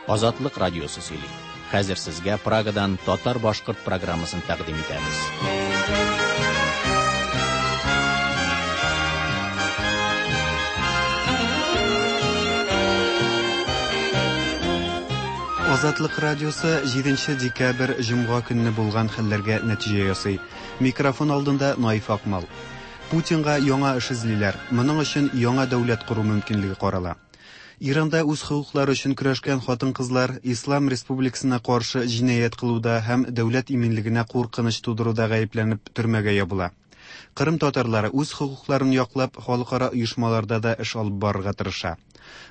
Азатлык радиосы сөйли. Хәзер сезгә Прагадан татар-башкорт программасын тәкъдим итәбез. Азатлык радиосы 7 декабрь җомга көнне булган хәлләргә нәтиҗә ясый. Микрофон алдында Наиф Акмал. Путинга яңа эш эзлиләр. Моның өчен яңа дәүләт кору мөмкинлеге карала. Иранда үз хокуклары өчен көрәшкән хатын-кызлар Ислам республикасына каршы җинаять кылуда һәм дәүләт иминлегенә куркыныч тудыруда гаепләнеп төрмәгә ябыла. Кырым татарлары үз хокукларын яклап халыкара оешмаларда да эш алып барырга тырыша.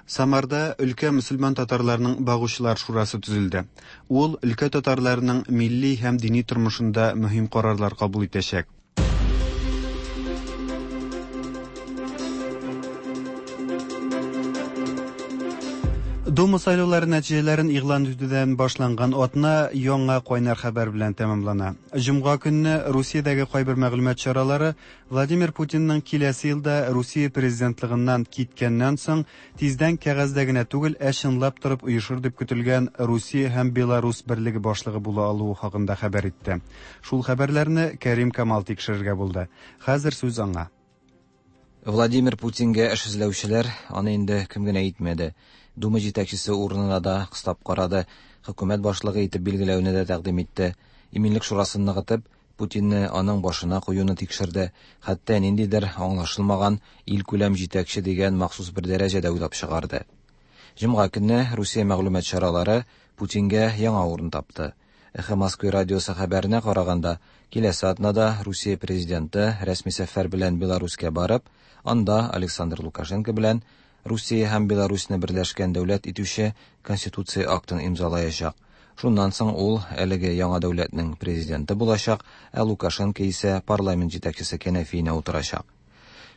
Самарда өлкә мөселман татарларының багучылар шурасы төзелде. Ул өлкә татарларының милли һәм дини тормышында мөһим карарлар кабул итәчәк. Дума сайлаулары нәтиҗәләрен игълан итүдән башланган атна яңа кайнар хәбәр белән тәмамлана. Җомга көнне Русиядәге кайбер мәгълүмат чаралары Владимир Путинның киләсе елда Русия президентлыгыннан киткәннән соң тиздән кәгазьдә генә түгел, ә чынлап торып оешыр дип көтелгән Русия һәм Беларусь берлеге башлыгы була алуы хакында хәбәр итте. Шул хәбәрләрне Кәрим Камал тикшерергә булды. Хәзер сүз аңа. Владимир Путингә эш эзләүчеләр аны инде кем генә итмәде. Дума җитәкчесе урынына да кыстап карады, хөкүмәт башлыгы итеп билгеләүне дә тәкъдим итте. Иминлек шурасын ныгытып, Путинны аның башына куюны тикшерде, хәтта ниндидер аңлашылмаган илкүләм җитәкче дигән махсус бер дәрәҗә дә уйлап чыгарды. Җомга көнне Русия мәгълүмат чаралары Путингә яңа урын тапты. Эхо Москвы радиосы хәбәренә караганда, киләсе атнада Русия президенты рәсми сәфәр белән Беларуська барып, анда Александр Лукашенко белән Русия һәм Беларусьны берләшкән дәүләт итүче Конституция актын имзалаячак. Шуннан соң ул әлеге яңа дәүләтнең президенты булачак, ә Лукашенко исә парламент җитәкчесе кәнәфиенә утырачак.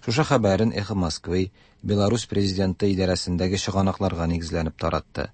Шушы хәбәрен Эхо Москвы Беларусь президенты идарәсендәге чыганакларга нигезләнеп таратты.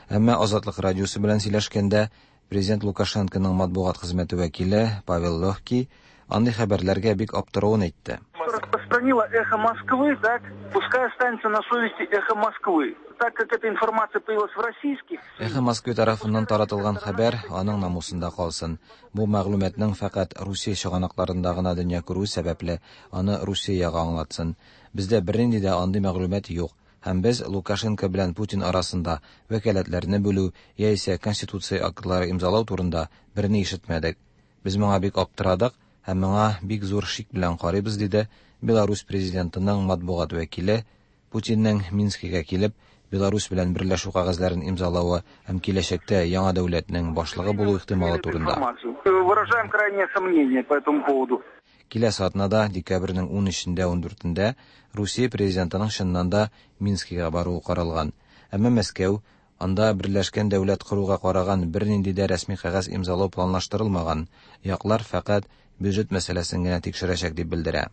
Әмма Азатлык радиосы белән сөйләшкәндә президент Лукашенконың матбугат хезмәте вәкиле Павел Легкий андый хәбәрләргә бик аптыравын әйтте. Распространила «Эхо Москвы», так, пускай останется на совести «Эхо Москвы». Так как эта информация появилась в российских... «Эхо Москвы» тарафыннан таратылган хәбәр аның намусында калсын. Бу мәгълүматның фәкать Русия чыганакларында гына дөнья күрү сәбәпле, аны Русия ягы аңлатсын. Бездә бернинди дә андый мәгълүмат юк. Һәм без Лукашенко белән Путин арасында вәкаләтләрне бүлү яисә конституция актлары имзалау турында берни ишетмәдек. Без моңа бик аптырадык һәм моңа бик зур шик белән карыйбыз, диде Беларусь президентының матбугат вәкиле Путинның Минскига килеп, Беларусь белән берләшү кәгазьләрен имзалавы һәм киләчәктә яңа дәүләтнең башлыгы булу ихтималы турында. Выражаем крайнее сомнение по этому поводу. Киләсе атнада, декабрьнең 13-ндә 14-ндә Русия президентының чыннан да Минскига баруы каралган. Әмма Мәскәү анда берләшкән дәүләт коруга караган бернинди дә рәсми кәгазь имзалау планлаштырылмаган, яклар фәкать бюджет мәсьәләсен генә тикшерәчәк дип белдерә.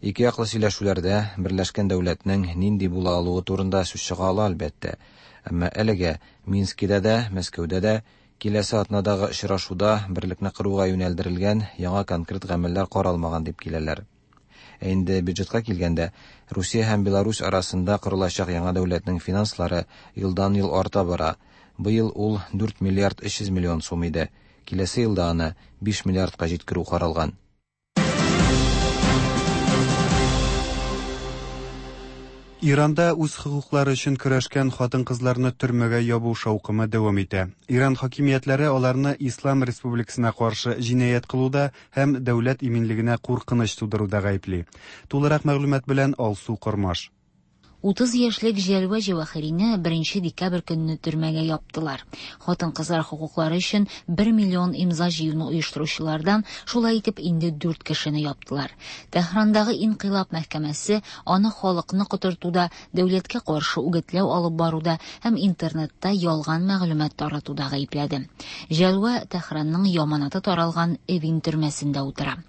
Ике яклы сөйләшүләрдә берләшкән дәүләтнең нинди була алуы турында сүз чыга ала, әлбәттә. Әмма әлегә Минскида да, Мәскәүдә дә киләсе атнадагы очрашуда берлекне коруга юнәлдерелгән яңа конкрет гамәлләр каралмаган дип киләләр. Ә инде бюджетка килгәндә, Русия һәм Беларусь арасында корылачак яңа дәүләтнең финанслары елдан-ел арта бара. Быел ул 4 миллиард 300 миллион сум иде. Киләсе елда аны 5 миллиардка җиткерү каралган. Иранда үз хокуклары өчен көрәшкән хатын-кызларны төрмәгә ябу шаукымы дәвам итә. Иран хакимиятләре аларны Ислам республикасына каршы җинаять кылуда һәм дәүләт иминлегенә куркыныч тудыруда гаепли. Тулырак мәгълүмат белән Алсу Кормаш. 30 яшьлек Җәлвә Җәвахирине 1 декабрь көнне төрмәгә яптылар. Хатын-кызлар хокуклары өчен 1 миллион имза җыюны оештыручылардан шулай итеп инде 4 кешене яптылар. Тәһрандагы инкыйлаб мәхкәмәсе аны халыкны котыртуда, дәүләткә каршы үгетләү алып баруда һәм интернетта ялган мәгълүмат таратуда гаепләде. Җәлвә Тәһранның яманаты таралган Эвин төрмәсендә утыра.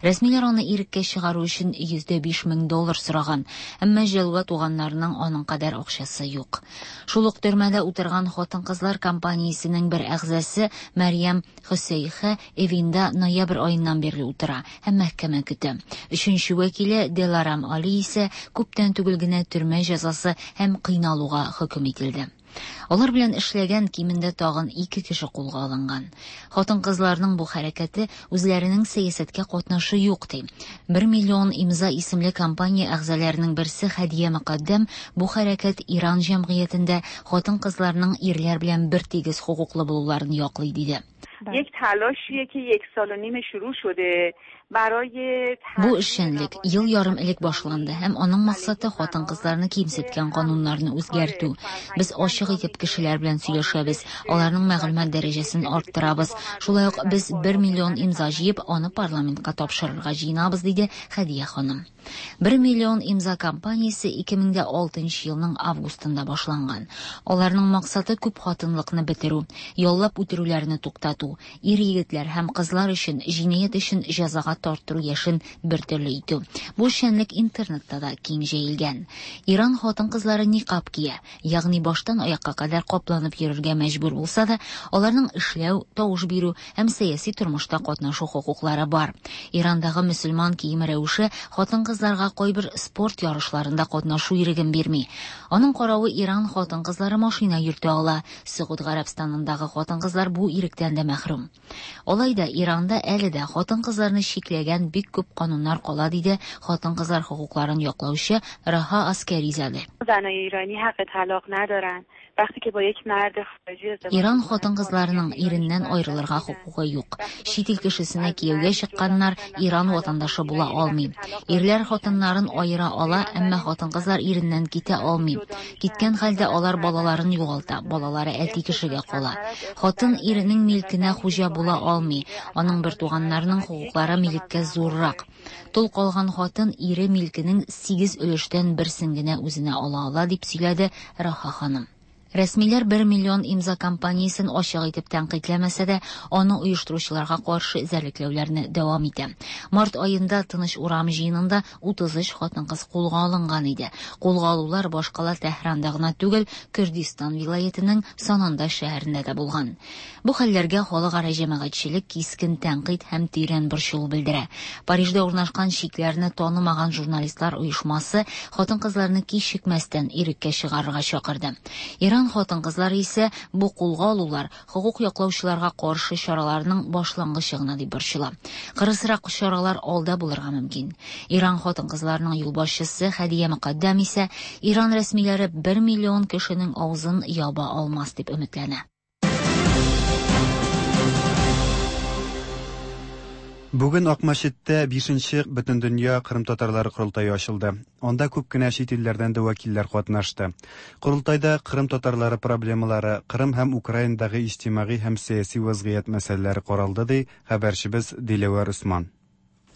Рәсмиләр аны иреккә чыгару өчен 105 мең доллар сораган, әмма Җәлвә туганнарының аның кадәр акчасы юк. Шул ук төрмәдә утырган хатын-кызлар компаниясенең бер әгъзасы Мәрьям Хөсәйхә Эвинда ноябрь аеннан бирле утыра һәм мәхкәмә көтә. Өченче вәкиле Деларам Али исә күптән түгел генә төрмә җәзасы һәм кыйналуга хөкем ителде. Алар белән эшләгән кимендә тагын ике кеше кулга алынган. Хатын-кызларның бу хәрәкәте үзләренең сәясәткә катнашы юк ди. Бер миллион имза исемле кампания әгъзаларының берсе Хәдия Мөкаддәм бу хәрәкәт Иран җәмгыятендә хатын-кызларның ирләр белән бертигез хокуклы булуларын яклый диде. یک تلاشیه که یک سال و نیم شروع شده برای Бу эшчәнлек ел ярым элек башланды һәм аның максаты хатын-кызларны кимсеткән кануннарны үзгәртү. Без ачык итеп кешеләр белән сөйләшәбез, аларның мәгълүмат дәрәҗәсен арттырабыз. Шулай ук без 1 миллион имза җыеп, аны парламентка тапшырырга җыенабыз, диде Хәдия ханым. 1 миллион имза кампаниясе 2006 елның августында башланган. Аларның максаты күп хатынлыкны бетерү, яллап үтерүләрне туктату, ир-егетләр һәм кызлар өчен җинаять өчен җәзага тарттыру яшен бер төрле итү. Бу эшчәнлек интернетта да киң җәелгән. Иран хатын-кызлары никаб кия, ягъни баштан аякка кадәр капланып йөрергә мәҗбүр булса да, аларның эшләү, тавыш бирү һәм сәяси тормышта катнашу хокуклары бар. Ирандагы мөселман киеме рәвеше хатын-кызларга кайбер спорт ярышларында катнашу иреген бирми. Аның каравы Иран хатын-кызлары машина йөртә ала. Согуд Гарәбстанындагы хатын-кызлар бу иректән дә мәхрүм. Алай да Иранда әле дә хатын-кызларны чикләгән бик күп кануннар кала, диде хатын-кызлар хокукларын яклаучы Раһа Аскәризаде. زنای ایرانی حق طلاق ندارن وقتی که با یک مرد خارجی ازدواج Иран می‌کنن، хатын-кызларының иреннән аерылырга хокукы юк. Чит ил кешесенә кияүгә чыкканнар Иран ватандашы була алмый. Ирләр хатыннарын аера ала, әмма хатын-кызлар иреннән китә алмый. Киткән хәлдә алар балаларын югалта, балалары әти кешегә кала. Хатын иренең милкенә хуҗа була алмый. Аның бертуганнарының хокуклары милеккә зуррак. Тол калган хатын ире милкенең 8 өлештән берсен генә үзенә ала ала, дип сөйләде Раһа ханым. Рәсмиләр 1 миллион имза кампаниясен ачык итеп тәнкыйтьләмәсә дә, аны оештыручыларга каршы эзәрлекләүләрне дәвам итә. Март аенда Тыныч урам җыенында 33 хатын-кыз кулга алынган иде. Кулга алулар башкала Тәһранда гына түгел, Күрдистан вилаятының Сананда шәһәрендә дә булган. Бу хәлләргә халыкара җәмәгатьчелек кискен тәнкыйть һәм тирән борчылу белдерә. Парижда урнашкан чикләрне танымаган журналистлар оешмасы хатын-кызларны кичекмәстән иреккә чыгарырга чакырды. Иран хатын-кызлары исә бу кулга алулар хокук яклаучыларга каршы чараларның башлангычы гына дип борчыла. Кырысрак чаралар алда булырга мөмкин. Иран хатын-кызларының юлбашчысы Хәдия Мөкаддәм исә Иран рәсмиләре 1 миллион кешенең авызын яба алмас дип өметләнә. Бүген Акмәчеттә 5нче Бөтендөнья Кырым татарлары корылтае ачылды. Анда күп кенә чит илләрдән дә вәкилләр катнашты. Корылтайда Кырым татарлары проблемалары, Кырым һәм Украинадагы иҗтимагый һәм сәяси вазгыять мәсьәләләре каралды, ди хәбәрчебез Диләвәр Усман.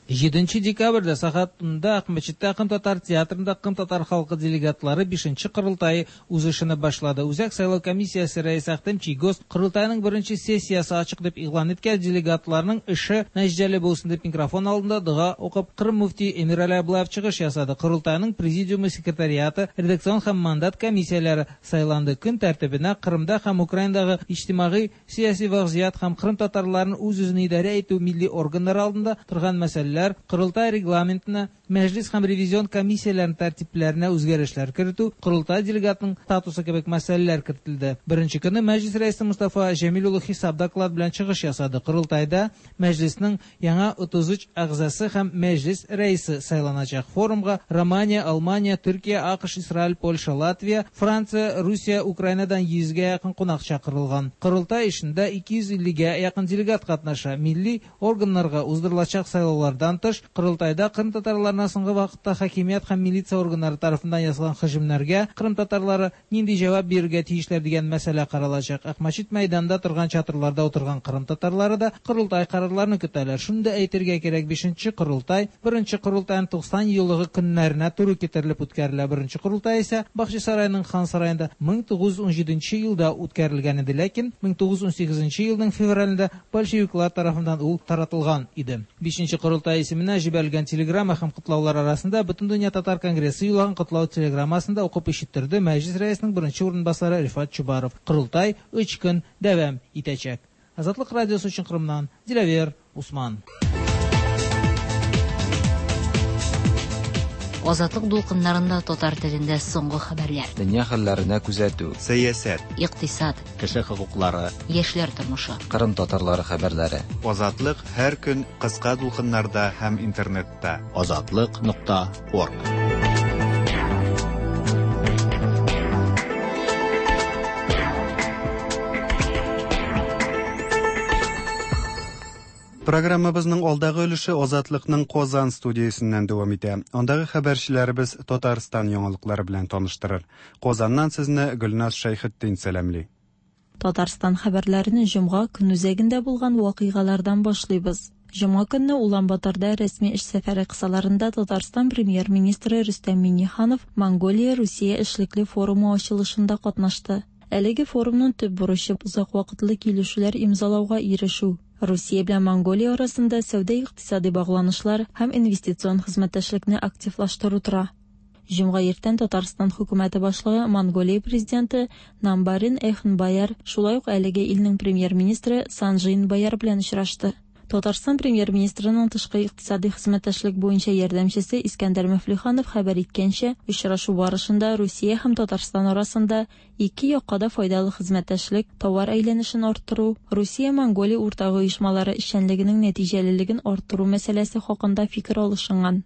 7 декабрьдә сәгать 10-да Акмәчеттә Кырым татар театрында Кырым татар халкы делегатлары 5нче корылтае үз эшен башлады. Үзәк сайлау комиссиясе рәисе Ахтем Чийгоз корылтайның беренче сессиясе ачык дип игълан иткән делегатларның эше нәтиҗәле булсын дип микрофон алдында дога укып Кырым мөфти Эмирали Аблаев чыгыш ясады. Корылтайның президиумы секретариаты, редакцион һәм мандат комиссияләре сайланды. Көн тәртибенә Кырымда һәм Украинадагы иҗтимагый сәяси вазгыять һәм Кырым татарларын үз-үзен идарә итү милли органнары алдында торган мәсьәләләр, Корылтай регламентына, мәҗлис һәм ревизион комиссияләренең тәртипләренә үзгәрешләр кертү, Корылтай делегатының статусы кебек мәсьәләләр кертелде. Беренче көнне мәҗлис рәисе Мустафа Җәмил улы хисап доклад белән чыгыш ясады. Корылтайда мәҗлиснең яңа 33 әгъзасы һәм мәҗлис рәисе сайланачак. Форумга Романия, Алмания, Төркия, АКШ, Израиль, Польша, Латвия, Франция, Русия, Украинадан 100гә якын кунак чакырылган. Корылтай эшендә 250гә якын делегат катнаша. Милли органнарга уздырылачак сайлаулардан тыш, Корылтайда Кырым татарларына соңгы вакытта хакимият һәм милиция органнары тарафыннан ясалган һөҗүмнәргә Кырым татарлары нинди җавап бирергә тиешләр дигән мәсьәлә каралачак. Акмәчет мәйданында торган чатырларда утырган Кырым татарлары да Корылтай карарларын көтәләр. Шуны да әйтергә кирәк, 5нче Корылтай беренче Корылтайның 90 еллыгы көннәренә туры китерелеп үткәрелә. Беренче Корылтай исә Бахчисарайның хан сараенда 1917 елда үткәрелгән иде, ләкин 1918 елның февралендә большевиклар тарафыннан ул таратылган иде. 5нче Корылтай исеменә җибәрелгән телеграмма һәм котлаулар арасында Бөтендөнья татар конгрессы юллаган котлау телеграммасында укып ишеттерде Мәҗлис рәисенең беренче урынбасары Рифат Чубаров. Корылтай 3 көн дәвам итәчәк. Азатлык радиосы өчен Кырымнан Диләвер Усман. Азатлык дулкыннарында татар телендә соңгы хәбәрләр. Дөнья хәлләренә күзәтү. Сәясәт. Икътисад. Кеше хокуклары. Яшьләр тормышы. Кырым татарлары хәбәрләре. Азатлык һәр көн кыска дулкыннарда һәм интернетта. Азатлык нокта орг. Программабызның алдагы өлеше Азатлыкның Казан студиясеннән дәвам итә. Андагы хәбәрчеләребез Татарстан яңалыклары белән таныштырыр. Казаннан сезне Гөлназ Шәйхетдин сәламли. Татарстан хәбәрләрен җомга көнүзәгендә булган вакыйгалардан башлыйбыз. Җомга көнне Улан-Баторда рәсми эш сәфәре кысаларында Татарстан премьер-министры Рөстәм Миңнеханов Монголия-Русия эшлекле форумы ачылышында катнашты. Әлеге форумның төп бурычы озак вакытлы килешүләр имзалауга ирешү. Русия белән Монголия арасында сәүдә-икътисади багланышлар һәм инвестицион хезмәттәшлекне активлаштыру тора. Җомга иртән Татарстан хөкүмәте башлыгы Монголия президенты Намбарин Эхнбаяр, шулай ук әлеге илнең премьер-министры Санжин Баяр белән очрашты. Татарстан премьер-министрының тышкы икътисади хезмәттәшлек буенча ярдәмчесе Искәндәр Мөфлиханов хәбәр иткәнчә, очрашу барышында Русия һәм Татарстан арасында ике якка да файдалы хезмәттәшлек, товар әйләнешен арттыру, Русия-Монголия уртак оешмалары эшчәнлегенең нәтиҗәлелеген арттыру мәсьәләсе хакында фикер алышынган.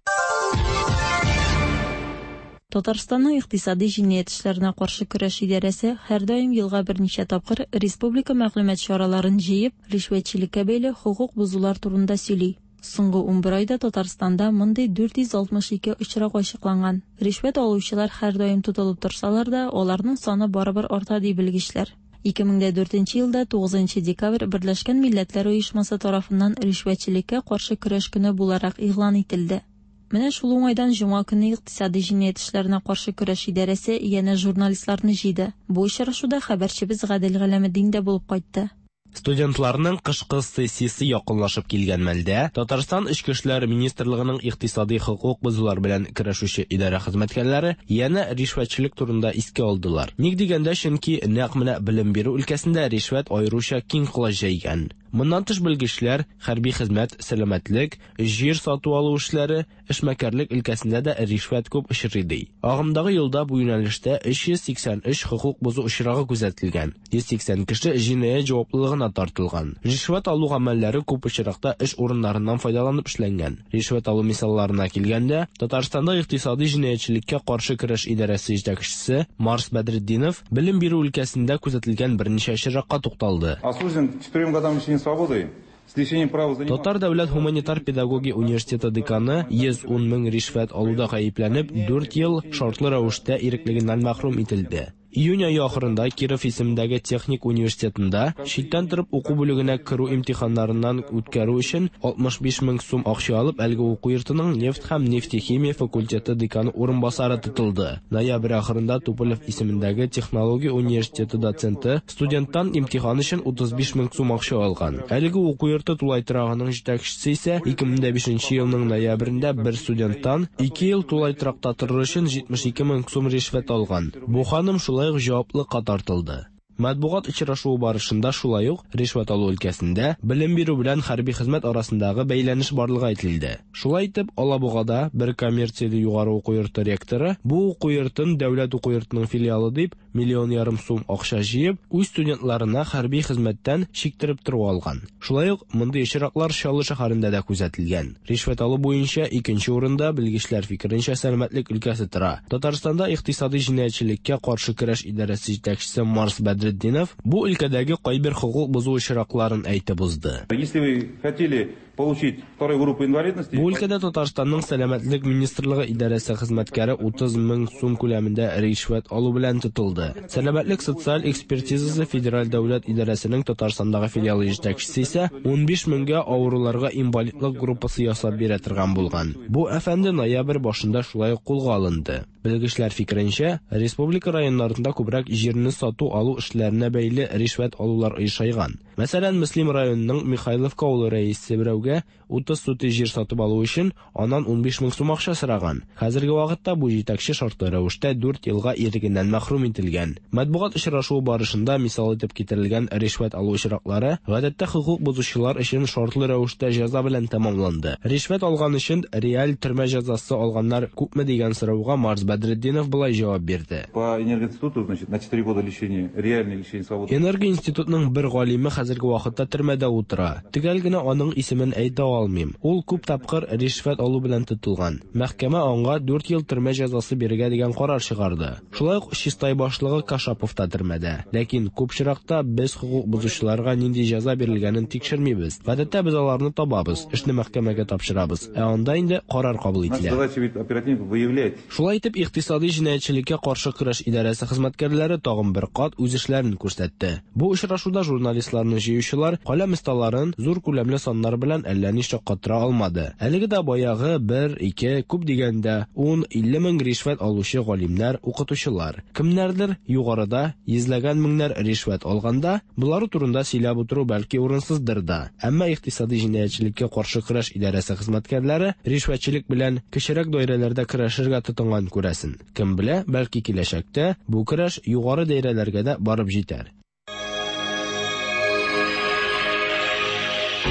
Татарстанның икътисади җинаять эшләренә каршы көрәш идарәсе һәрдаим елга берничә тапкыр республика мәгълүмат чараларын җыеп, ришвәтчелеккә бәйле хокук бозулар турында сөйли. Соңгы 11 айда Татарстанда мондый 462 очрак ачыкланган. Ришвәт алучылар һәрдаим тотылып торсалар да, аларның саны барыбер арта ди белгечләр. 2004 елда 9 декабрь Берләшкән Милләтләр Оешмасы тарафыннан ришвәтчелеккә каршы көрәш көне буларак игълан ителде. Менә шул уңайдан җомга көнне икътисади җинаять эшләренә каршы көрәш идарәсе янә журналистларны җыйды. Бу очрашуда хәбәрчебез Гадел Галәметдин дә булып кайтты. Студентларның кышкы сессиясе якынлашып килгән мәлдә Татарстан Эчке эшләр министрлыгының икътисади хокук бозулар белән көрәшүче идарә хезмәткәрләре янә ришвәтчелек турында искә алдылар. Ник дигәндә, чөнки нәкъ менә белем бирү өлкәсендә ришвәт аеруча киң колач җәйгән. Моннан тыш белгечләр хәрби хезмәт, сәламәтлек, җир сату алу эшләре, эшмәкәрлек өлкәсендә дә ришвәт күп очрый ди. Агымдагы елда бу юнәлештә 383 хокук бозу очрагы күзәтелгән. 180 кеше җинаять җаваплылыгына тартылган. Ришвәт алу гамәлләре күп очракта эш урыннарыннан файдаланып эшләнгән. Ришвәт алу мисалларына килгәндә, Татарстанда икътисади җинаятьчелеккә каршы көрәш идарәсе җитәкчесе Марс Бәдретдинов белем бирү өлкәсендә күзәтелгән берничә очракка тукталды. Осужден к 4 годам лишения свободы с лишением права заниматься... Татар дәүләт һуманитар педагогия университеты деканы 110 мең ришвәт алуда гаепләнеп, 4 ел шартлы рәвештә иреклегеннән мәхрүм ителде. Июнь ае ахырында Киров исемендәге техник университетында читтән торып уку бүлегенә керү имтиханнарыннан үткәрү өчен 65 мең сум акча алып, әлеге уку йортының нефть һәм нефтехимия факультеты деканы урынбасары тотылды. Ноябрь ахырында Туполев исемендәге технология университеты доценты студенттан имтихан өчен 35 мең сум акча алган. Әлеге уку йорты тулай торагының җитәкчесе исә 2005 елның ноябрендә бер студенттан 2 ел тулай торакта торыр өчен 72 мең сум ришвәт алган. Бу ханым шулай ук җаваплылыкка тартылды. Матбугат очрашуы барышында шулай ук ришвәт алу өлкәсендә белем бирү белән хәрби хезмәт арасындагы бәйләнеш барлыгы әйтелде. Шулай итеп, Алабугада бер коммерцияле югары уку йорты ректоры бу уку йортын дәүләт уку йортының филиалы дип миллион ярым сум акча җыеп, үз студентларына хәрби хезмәттән чиктереп тору алган. Шулай ук мондый очраклар Чаллы шәһәрендә дә күзәтелгән. Ришвәт алу буенча икенче урында белгечләр фикеренчә сәламәтлек өлкәсе тора. Татарстанда икътисади җинаятьчелеккә каршы көрәш идарәсе җитәкчесе Марс Бәдретдинов бу өлкәдәге кайбер хокук бозу очракларын әйтеп узды. Если вы хотели получить вторую группу инвалидности... Бу өлкәдә Татарстанның сәламәтлек министрлыгы идарәсе хезмәткәре 30 мең сум күләмендә ришвәт алу белән тотылды. Сәламәтлек социаль экспертизасы федераль дәүләт идарәсенең Татарстандагы филиалы җитәкчесе исә 15 меңгә авыруларга инвалидлык группасы ясап бирә торган булган. Бу әфәнде ноябрь башында шулай ук кулга алынды. Белгечләр фикеренчә, республика районнарында күбрәк җирне сату алу эшләренә бәйле ришвәт алулар оешайган. Мәсәлән, Мөслим районының Михайловка авылы рәисе берәүгә берәүгә 30 сутый җир сатып алу өчен аннан 15 мең сум акча сораган. Хәзерге вакытта бу җитәкче шартлы рәвештә 4 елга ирегеннән мәхрүм ителгән. Матбугат очрашуы барышында мисал итеп китерелгән ришвәт алу очраклары гадәттә хокук бозучылар өчен шартлы рәвештә җәза белән тәмамланды. Ришвәт алган өчен реаль төрмә җәзасы алганнар күпме дигән сорауга Марс Бәдретдинов болай җавап бирде. По энергоинституту, значит, на 4 года лишения, реальное лишение свободы. Энергоинститутның бер галиме хәзерге вакытта төрмәдә утыра. Төгәл генә аның исемен әйтә алмыйм. Ул күп тапкыр ришвәт алу белән тотылган. Мәхкәмә аңа 4 ел төрмә җәзасы бирергә дигән карар чыгарды. Шулай ук Чистай башлыгы Кашапов та төрмәдә. Ләкин күп очракта без хокук бозучыларга нинди җәза бирелгәнен тикшермибез. Гадәттә без аларны табабыз, эшне мәхкәмәгә тапшырабыз. Ә анда инде карар кабул Наша ителә. задача ведь оперативников выявлять. Шулай итеп, икътисади җинаятьчелеккә каршы көрәш идарәсе хезмәткәрләре тагын бер кат үз эшләрен күрсәтте. Бу очрашуда журналистларны җыючылар каләм осталарын зур күләмле саннар белән әллә ни шаккатыра алмады. Әлеге дә баягы 1, 2, күп дигәндә 10, 50 мең ришвәт алучы галимнәр, укытучылар. Кемнәрдер югарыда йөзләгән меңнәр ришвәт алганда, болары турында сөйләп утыру бәлки урынсыздыр да. Әмма икътисади җинаятьчелеккә каршы көрәш идарәсе хезмәткәрләре ришвәтчелек белән кечерәк даирәләрдә көрәшергә тотынган күрәсен. Кем белә, бәлки киләчәктә бу көрәш югары даирәләргә дә барып җитәр.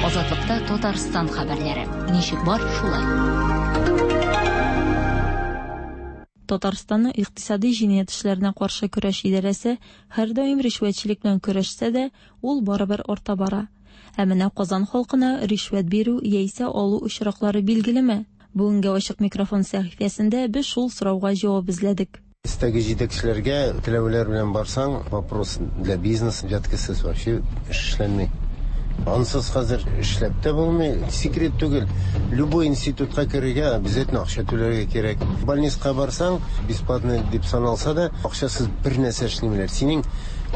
Азатлыкта Татарстан хәбәрләре. Ничек бар, шулай. Татарстанның икътисади җинаять эшләренә каршы көрәш идарәсе һәрдаим ришвәтчелек белән көрәшсә дә, ул барыбер арта бара. Ә менә Казан халкына ришвәт бирү яисә алу очраклары билгелеме? Бүгенге ачык микрофон сәхифәсендә без шул сорауга җавап эзләдек. Өстәге җитәкчеләргә теләүләр белән барсаң, вопрос для бизнеса взяткасыз вообще эш эшләнми. Ансыз хәзер эшләп тә булмый. Секрет түгел. Любой институтка керергә обязательно акча түләргә кирәк. Больницага барсаң, бесплатно дип саналса да, акчасыз бер нәрсә эшләмиләр. Синең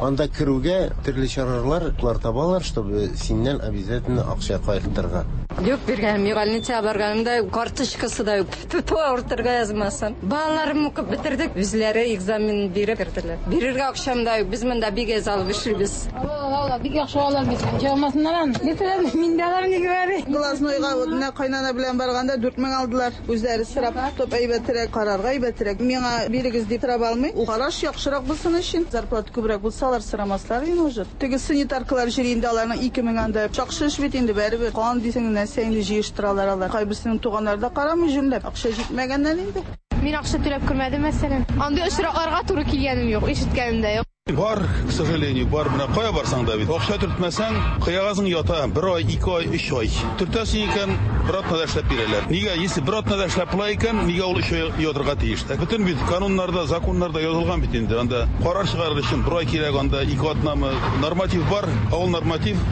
анда керүгә төрле чаралар табалар, чтобы синнән обязательно акча кайтырга. Юк биргәнем юк, больницага барганымда карточкасы да юк. Тоту авыртырга язмасын. Балаларым укып бетердек, үзләре экзамен биреп керделәр. Бирергә акчам да юк, без монда бик әз алып эшлибез. Ала, бик яхшы алам бит. Җавамасыннан ан. Бетерәм, мин дә алам ни говори. Глазнойга вот менә кайнана белән барганда 4000 алдылар. Үзләре сорап тотып әйбәтрәк, карарга әйбәтрәк. Миңа бирегез дип сорап алмый. Ул караш яхшырак булсын өчен, зарплата күбрәк булса алар сорамаслар инде уже. Теге санитаркалар җыри инде аларның 2000 анда. Яхшы эш бит инде бәрібер. Кан дисең нәрсә инде җыештыралар алар. Кайберсенең туганнары да карамый җүнләп. Акча җитмәгәннән инде. Мин акча түләп күрмәдем, мәсәлән. Андый очракларга туры килгәнем юк, ишеткәнем дә юк. Бар, к сожалению, бар. Менә кая барсаң да бит. Акча төртмәсәң, кыягазың ята. Бер ай, ике ай, өч ай. Төртәсең икән, бер атнада эшләп бирәләр. Нигә, если бер атнада эшләп була икән, нигә ул өч ай ятырга тиеш? Бөтен бит кануннарда, законнарда язылган бит инде. Анда карар чыгарыр өчен бер ай кирәк, анда ике атнамы. Норматив бар, ә ул норматив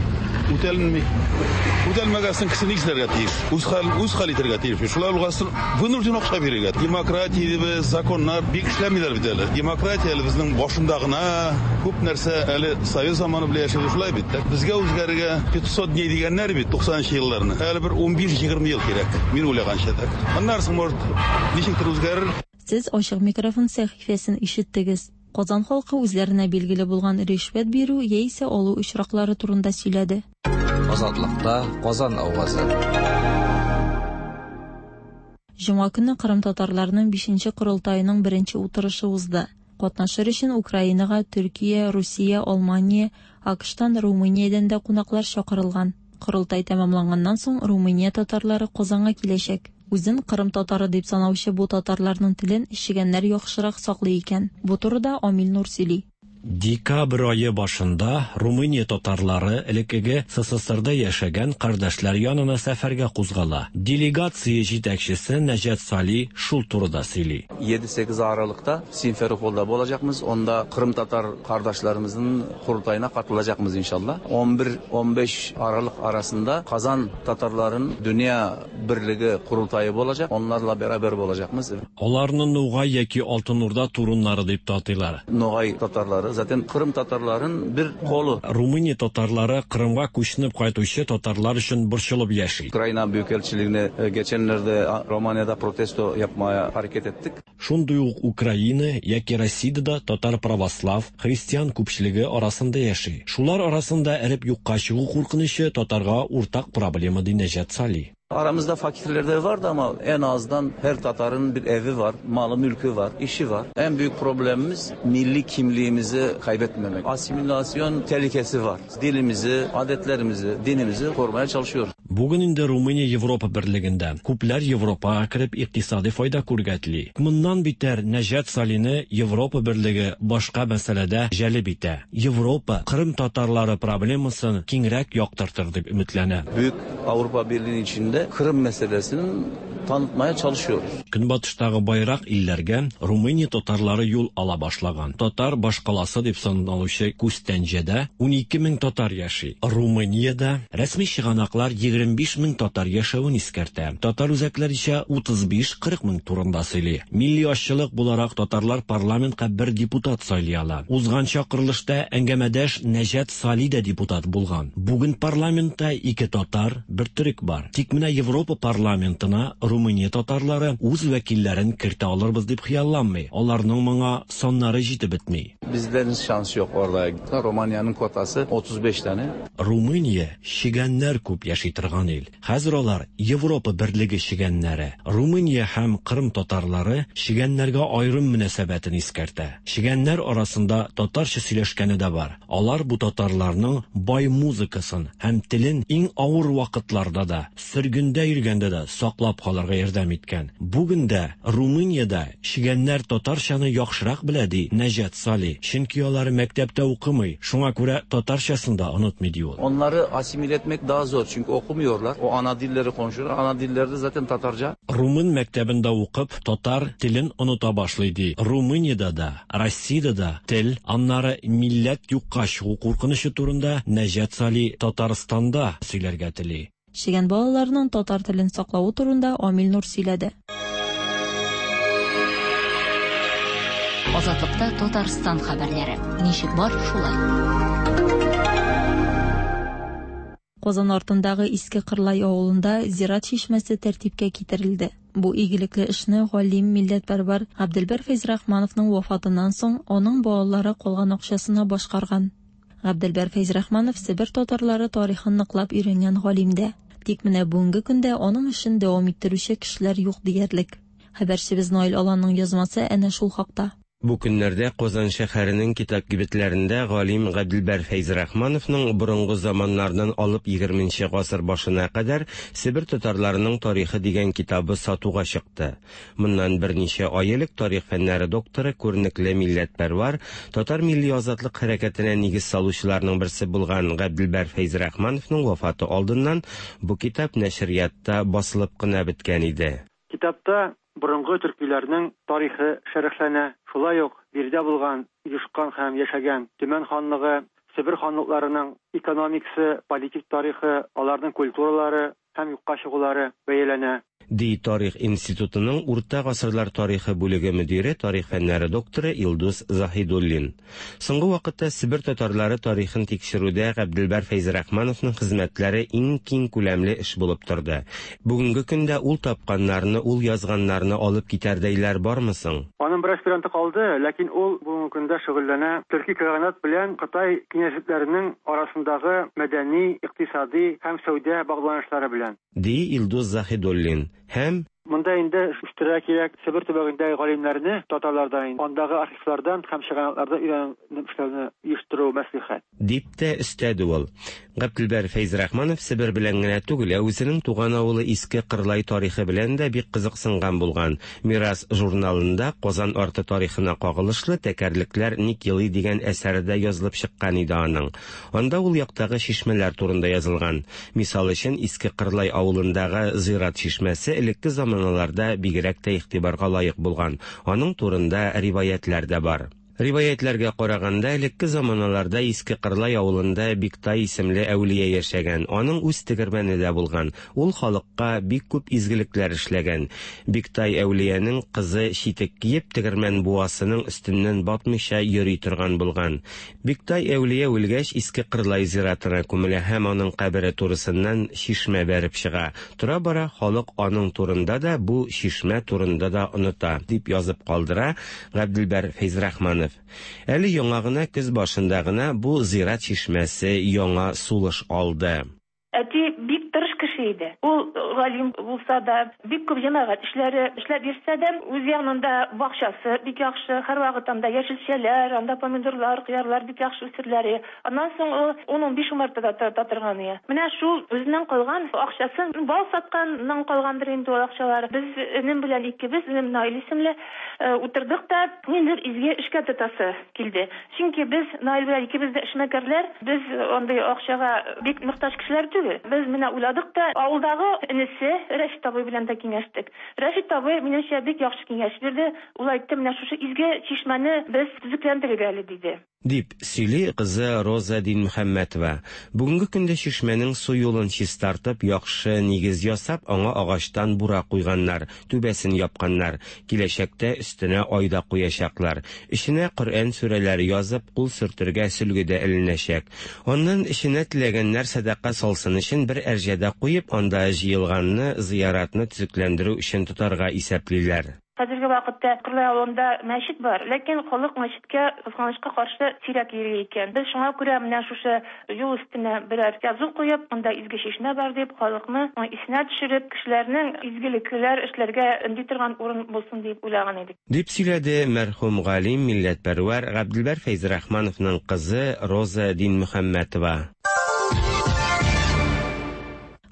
үтәлми. Үтәлмәгәсен кеше ни эшләргә тиеш? Үз хәл, үз хәл итәргә тиеш. Шулай булгасын, вынужден акча бирергә. Демократия дибез, законнар бик эшләмиләр бит әле. Демократия әле безнең башында гына, күп нәрсә әле совет заманы белән яшәде шулай бит. Безгә үзгәрергә 500 дней дигәннәр бит 90нчы елларны. Әле бер 15-20 ел кирәк. Мин уйлаганча так. Аннан соң, может, ничектер үзгәрер. Сез ачык микрофон сәхифәсен ишеттегез. Казан халкы үзләренә билгеле булган ришвәт бирү яисә алу очраклары турында сөйләде. Азатлыкта Казан авазы. Җомга көнне Кырым татарларының 5нче корылтаеның беренче утырышы узды. Катнашыр өчен Украинага, Төркия, Русия, Алмания, АКШтан, Румыниядән дә кунаклар чакырылган. Корылтай тәмамланганнан соң Румыния татарлары Казанга киләчәк. Үзен Кырым татары дип санаучы бу татарларның телен чегәннәр яхшырак саклый икән. Бу турыда Амил Нур сөйли. Декабрь ае башында Румыния татарлары элеккеге СССРда яшәгән кардәшләр янына сәфәргә кузгала. Делегация җитәкчесе Нәҗәт Сали шул турыда сөйли. 7-8 Aralık'ta Simferopol'da olacakmız. Onda Kırım Tatar kardeşlerimizin kurultayına katılacakmız inşallah. 11-15 Aralık arasında Kazan Tatarların Dünya Birliği kurultayı olacak. Onlarla beraber olacakmız. Аларны Нугай яки Алтын Урда туруннары дип тә атыйлар. Nogay Tatarları. Tatarları zaten Kırım Tatarların bir kolu. Румыния татарлары Кырымга күченеп кайтучы татарлар өчен борчылып яши. Ukrayna Büyükelçiliğine geçenlerde Romanya'da protesto yapmaya hareket ettik. Шундый ук Украина яки Россиядә дә татар православ, христиан күпчелеге арасында яши. Шулар арасында эреп юкка чыгу куркынычы татарга уртак проблема, ди Нәҗат Сали. Aramızda fakirler de vardı ama en azından her Tatar'ın bir evi var, malı mülkü var, işi var. En büyük problemimiz milli kimliğimizi kaybetmemek. Asimilasyon tehlikesi var. Dilimizi, adetlerimizi, dinimizi korumaya çalışıyoruz. Бүген инде Румыния Европа берлегендә. Күпләр Европага кереп икътисади файда күрергә тели. Моннан битәр Нәҗат Салины Европа берлеге башка мәсьәләдә җәлеп итә. Европа Кырым татарлары проблемасын киңрәк яктыртыр дип өметләнә. Büyük Avrupa Birliği'nin içinde Kırım meselesini tanıtmaya çalışıyoruz. Көнбатыштагы байрак илләргә Румыния татарлары юл ала башлаган. Татар башкаласы дип саналучы Күстәнҗәдә 12 мең татар яши. Румыниядә рәсми чыганаклар 25 мең татар яшәвен искәртә. Татар үзәкләре исә 35-40 мең турында сөйли. Милли азчылык буларак татарлар парламентка бер депутат сайлый ала. Узган чакырылышта әңгәмәдәш Нәҗат Сали дә депутат булган. Бүген парламентта ике татар, бер төрек бар. Тик менә Европа парламентына Румыния татарлары үз вәкилләрен кертә алырбыз дип хыялланмый. Аларның моңа саннары җитеп бетми. Bizlerin şansı yok orada. Romanya'nın kotası 35 tane. Румыния чегәннәр күп яши торган ил. Хәзер алар Европа берлеге чегәннәре. Румыния һәм Кырым татарлары чегәннәргә аерым мөнәсәбәтен искәртә. Чегәннәр арасында татарча сөйләшкәне дә бар. Алар бу татарларның бай музыкасын һәм телен иң авыр вакытларда да, сөргендә йөргәндә дә саклап калырга ярдәм иткән. Бүген дә Румыниядә чегәннәр татарчаны яхшырак белә, ди Нәҗат Сали. Чөнки алар мәктәптә укымый, шуңа күрә татарчасын да онытмый, ди ул. Onları asimile etmek daha zor çünkü okumuyorlar. O ana dilleri konuşuyorlar. Ana dilleri de zaten Tatarca. Румын мәктәбендә укып, татар телен оныта башлый, ди. Румыниядә дә, Россиядә дә тел, аннары милләт юкка чыгу куркынычы турында Нәҗат Сали Татарстанда сөйләргә тели. Чегән балаларының татар телен саклавы турында Амил Нур сөйләде. Азатлыкта Татарстан хәбәрләре. Ничек бар, шулай. Казан артындагы Иске Кырлай авылында зират чишмәсе тәртипкә китерелде. Бу игелекле эшне галим милләтпәрвәр Габделбәр Фәйзрахмановның вафатыннан соң аның балалары калган акчасына башкарган. Габделбәр Фәйзрахманов Себер татарлары тарихын ныклап өйрәнгән галим дә. Тик менә бүгенге көндә аның эшен дәвам иттерүче кешеләр юк диярлек. Хәбәрчебез Наил Аланның язмасы әнә шул хакта. Бу көннәрдә Казан шәһәренең китап кибетләрендә галим Габделбәр Фәйзрахмановның борынгы заманнардан алып 20 гасыр башына кадәр Себер татарларының тарихы дигән китабы сатуга чыкты. Моннан берничә ай элек тарих фәннәре докторы, күренекле милләтпәрвар, татар милли азатлык хәрәкәтенә нигез салучыларның берсе булган Габделбәр Фәйзрахмановның вафаты алдыннан бу китап нәшриятта басылып кына беткән иде. Китапта борынгы төркиләрнең тарихы шәрехләнә. Шулай ук биредә булган, оешкан һәм яшәгән Төмән ханлыгы, Себер ханлыкларының экономикасы, политик тарихы, аларның культуралары һәм юкка чыгулары бәяләнә. Ди Тарих институтының Урта гасырлар тарихы бүлеге мөдире, тарих фәннәре докторы Илдус Заһидуллин. Соңгы вакытта Себер татарлары тарихын тикшерүдә Габделбәр Фәйзрахмановның хезмәтләре иң киң күләмле эш булып торды. Бүгенге көндә ул тапканнарны, ул язганнарны алып китәрдәйләр бармы соң? Аның бер аспиранты калды, ләкин ул бүгенге көндә шөгыльләнә Төрки каганат белән Кытай князьлекләренең арасындагы мәдәни, икътисади һәм сәүдә багланышлары белән. Ди Илдус Заһидуллин. Һәм Монда инде үстерергә кирәк Себер төбәгендәге галимнәрне, татарлардан, андагы архивлардан һәм чыганаклардан өйрәнеп эшләүне оештыру мәслихәт. Дип тә өстәде ул. Габделбәр Фәйзрахманов Себер белән генә түгел, ә үзенең туган авылы Иске Кырлай тарихы белән дә бик кызыксынган булган. Мирас журналында Казан арты тарихына кагылышлы Тәкәрлекләр ник елый дигән әсәре дә язылып чыккан иде аның. Анда ул яктагы чишмәләр турында язылган. Мисал өчен, Иске Кырлай авылындагы зират чишмәсе элекке заманаларда бигрәк тә игътибарга лаек булган. Аның турында риваятлар да бар. Риваятьләргә караганда, элекке заманаларда Иске Кырлай авылында Биктай исемле әүлия яшәгән. Аның үз тегермәне дә булган. Ул халыкка бик күп изгелекләр эшләгән. Биктай әүлиянең кызы читек киеп, тегермән буасының өстеннән батмыйча йөри торган булган. Биктай әүлия үлгәч, Иске Кырлай зиратына күмелә һәм аның кабере турысыннан чишмә бәреп чыга. Тора-бара халык аның турында да, бу чишмә турында да оныта, дип язып калдыра Габделбәр Фәйзрахманов. Әле яңа гына, көз башында гына бу зират чишмәсе яңа сулыш алды. Әти бик тырыш кеше иде. Ул галим булса да, бик күп җәмәгать эшләре эшләп йөрсә дә, үз янында бакчасы бик яхшы, һәрвакыт анда яшелчәләр, анда помидорлар, кыярлар бик яхшы үсерләр. Аннан соң ул ун-унбиш умарта да тота торган иде. Менә шул үзеннән калган акчасын, бал сатканнан калгандыр инде ул акчалар. Без энем белән икебез, энем Наил исемле, утырдык та, ниндидер изге эшкә тотасы килде. Чөнки без Наил белән икебез дә эшмәкәрләр, без андый акчага бик мохтаҗ кешеләр түгел. Без менә уйладык та, авылдагы энесе Рәшит абый белән дә киңәштек. Рәшит абый, минемчә, бик яхшы киңәш бирде. Ул әйтте, менә шушы изге чишмәне без төзекләндерик әле, диде. Дип сөйли кызы Роза Динмөхәммәтова. Бүгенге көндә чишмәнең су юлын чистартып, яхшы нигез ясап, аңа агачтан бура куйганнар, түбәсен япканнар. Киләчәктә өстенә ай да куячаклар. Эченә Коръән сүрәләре язып, кул сөртергә сөлге дә эленәчәк. Аннан эченә теләгәннәр сәдака салсын өчен бер әрҗә дә куеп, анда җыелганны зыяратны төзекләндерү өчен тотарга исәплиләр. Хәзерге вакытта Кырлай авылында мәчет бар, ләкин халык мәчеткә, кызганычка каршы, сирәк йөри икән. Без шуңа күрә менә шушы юл өстенә берәр язу куеп, монда изге чишмә бар дип, халыкны исенә төшереп, кешеләрнең изгелекләр эшләргә өнди торган урын булсын дип уйлаган идек. Дип сөйләде мәрхүм галим, милләтпәрвәр Габделбәр Фәйзрахмановның кызы Роза Динмөхәммәтова.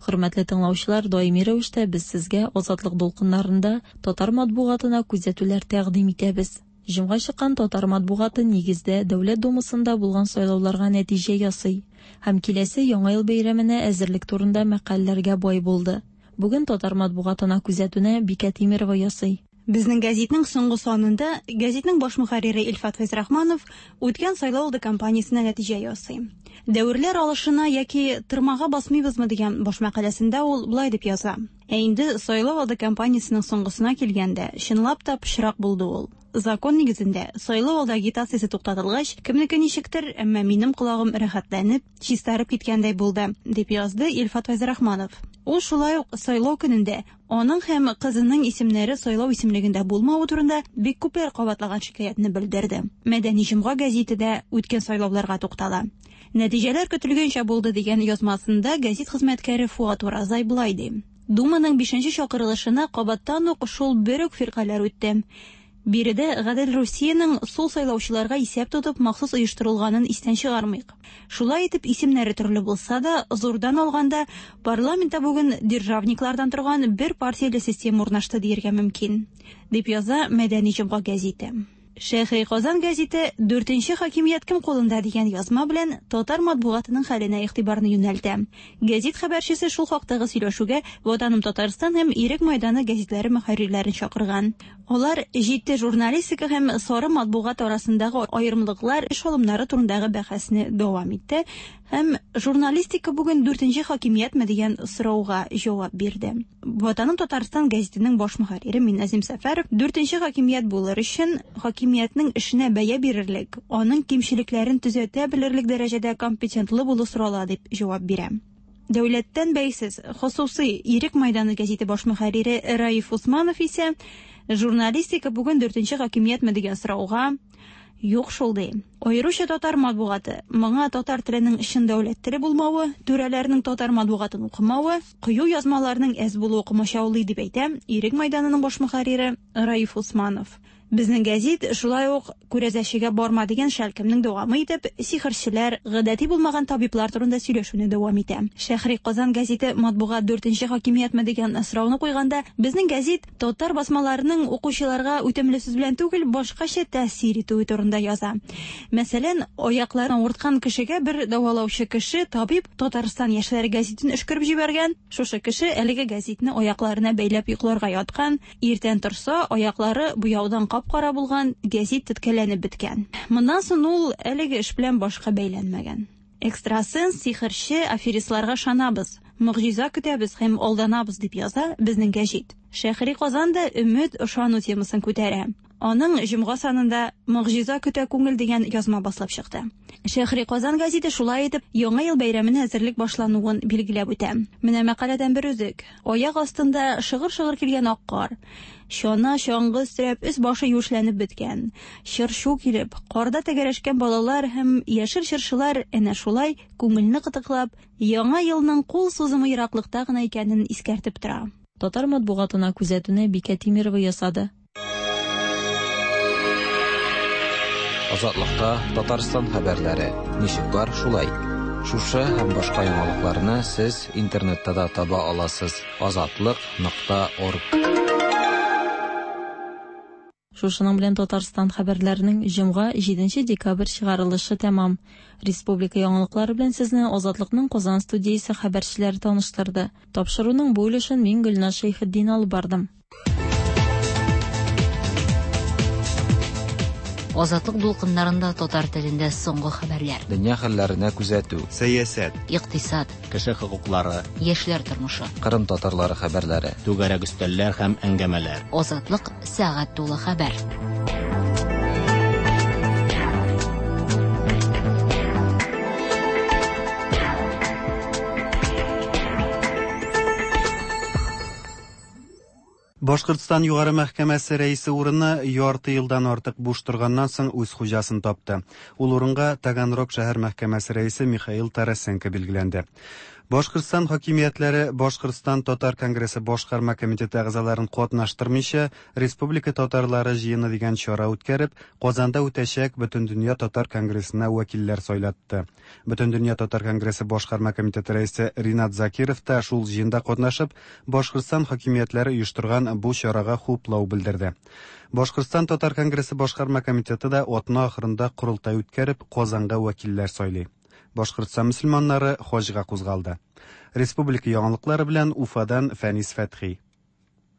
Хөрмәтле тыңлаучылар, даими рәвештә без сезгә Азатлык дулкыннарында татар матбугатына күзәтүләр тәкъдим итәбез. Җомга чыккан татар матбугаты нигездә Дәүләт Думасында булган сайлауларга нәтиҗә ясый һәм киләсе Яңа ел бәйрәменә әзерлек турында мәкаләләргә бай булды. Бүген татар матбугатына күзәтүне Бикә Тимерова ясый. Безнең гәзитнең соңгы санында гәзитнең баш мөхәррире Илфат Фәйзрахманов үткән сайлау алды кампаниясенә нәтиҗә ясый. Дәверләр алышына яки тырмага басмыйбызмы дигән баш мәкаләсендә ул болай дип яза. Ә инде сайлау алды кампаниясенең соңгысына килгәндә, чынлап та пычрак булды ул. Закон нигезендә, сайлау алды агитациясе туктатылгач, кемнеке ничектер, әмма минем колагым рәхәтләнеп, чистарып киткәндәй булды, дип язды Илфат Фәйзрахманов. Ул шулай ук сайлау көнендә аның һәм кызының исемнәре сайлау исемлегендә булмавы турында бик күпләр кабатлаган шикаятьне белдерде. Мәдәни җомга гәзите дә үткән сайлауларга туктала. Нәтиҗәләр көтелгәнчә булды дигән язмасында гәзит хезмәткәре Фуат Уразай болай ди. Думаның бишенче чакырылышына кабаттан ук шул бер үк фиркаләр үтте. Биредә Гадел Русиянең сул сайлаучыларга исәп тотып махсус оештырылганын истән чыгармыйк. Шулай итеп, исемнәре төрле булса да, зурдан алганда, парламентта бүген державниклардан торган бер партияле система урнашты диергә мөмкин, дип яза Мәдәни җомга гәзите. Шәһри Казан гәзите Дүртенче хакимият кем кулында дигән язма белән татар матбугатының хәленә игътибарны юнәлтә. Гәзит хәбәрчесе шул хактагы сөйләшүгә Ватаным Татарстан һәм Ирек майданы гәзитләре мөхәррирләрен чакырган. Алар җитди журналистика һәм сары матбугат арасындагы аерымлыклар, эш алымнары турындагы бәхәсне дәвам итте һәм журналистика бүген дүртенче хакимиятме дигән сорауга җавап бирде. Ватаным Татарстан гәзитенең баш мөхәррире Минназим Сәфәров дүртенче хакимият булыр өчен хакимиятнең эшенә бәя бирерлек, аның кимчелекләрен төзәтә белерлек дәрәҗәдә компетентлы булу сорала дип җавап бирә. Дәүләттән бәйсез хосусый Ирек майданы гәзите баш мөхәррире Раиф Усманов исә журналистика бүген дүртенче хакимиятме дигән сорауга юк шул ди. Аеруча татар матбугаты, моңа татар теленең чын дәүләт теле булмавы, түрәләрнең татар матбугатын укымавы, кыю язмаларның әз булуы комачаулый дип әйтә Ирек майданының баш мөхәррире Раиф Усманов. Безнең гәзит шулай ук күрәзәчегә барма дигән шәлкемнең дәвамы итеп, сихерчеләр, гадәти булмаган табиблар турында сөйләшүне дәвам итә. Шәһри Казан гәзите матбугат дүртенче хакимиятме дигән сорауны куйганда, безнең гәзит татар басмаларының укучыларга үтемле сүз белән түгел, башкача тәэсир итүе турында яза. Мәсәлән, аякларын авырткан кешегә бер дәвалаучы кеше, табиб Татарстан яшьләре гәзитен өшкереп җибәргән. Шушы кеше әлеге гәзитне аякларына бәйләп йокларга яткан. Иртән торса, аяклары буяудан кап-кара булган, гәзит теткәләнеп беткән. Моннан соң ул әлеге эш белән башка бәйләнмәгән. Экстрасенс, сихерче, аферистларга ышанабыз, могҗиза көтәбез һәм алданабыз, дип яза Безнең гәҗит. Шәһри Казан да өмет, ышану темасын күтәрә. Аның җомга санында Могҗиза көтә күңел дигән язма басылып чыкты. Шәһри Казан гәзите шулай итеп Яңа ел бәйрәменә әзерлек башлануын билгеләп үтә. Менә мәкаләдән бер өзек. Аяк астында шыгыр-шыгыр килгән ак кар. Чана, чаңгы өстерәп, өс-башы юешләнеп беткән. Чыр-чу килеп, карда тәгәрәшкән балалар һәм яшел чыршылар әнә шулай күңелне кытыклап, Яңа елның кул сузымы ераклыкта гына икәнен искәртеп тора. Татар матбугатына күзәтүне Бикә Тимерова ясады. Азатлыкта Татарстан хәбәрләре ничек бар, шулай. Шушы һәм башка яңалыкларны сез интернетта да таба аласыз: азатлык.орг. Шушының белән Татарстан хәбәрләренең җомга, 7 декабрь чыгарылышы тәмам. Республика яңалыклары белән сезне Азатлыкның Казан студиясе хәбәрчеләре таныштырды. Тапшыруның бу өлешен мин Гөлназ Шәйхетдин алып бардым. Азатлык дулкыннарында татар телендә соңгы хәбәрләр. Дөнья хәлләренә күзәтү. Сәясәт. Икътисад. Кеше хокуклары. Яшьләр тормышы. Кырым татарлары хәбәрләре. Түгәрәк өстәлләр һәм әңгәмәләр. Азатлык сәгать тулы хәбәр. Башкортстан Югары мәхкәмәсе рәисе урыны ярты елдан артык буш торганнан соң үз хуҗасын тапты. Ул урынга Таганрог шәһәр мәхкәмәсе рәисе Михаил Тарасенко билгеләнде. Башкортстан хакимиятләре Башкортстан татар конгрессы башкарма комитеты әгъзаларын катнаштырмыйча Республика татарлары җыены дигән чара үткәреп, Казанда үтәчәк Бөтендөнья татар конгрессына вәкилләр сайлатты. Бөтендөнья татар конгрессы башкарма комитеты рәисе Ринат Закиров та шул җыенда катнашып, Башкортстан хакимиятләре оештырган бу чарага хуплау белдерде. Башкортстан татар конгрессы башкарма комитеты да атна ахырында корылтай үткәреп, Казанга вәкилләр сайлый. Башкортстан мөселманнары хаҗга кузгалды. Республика яңалыклары белән Уфадан Фәнис Фәтхи.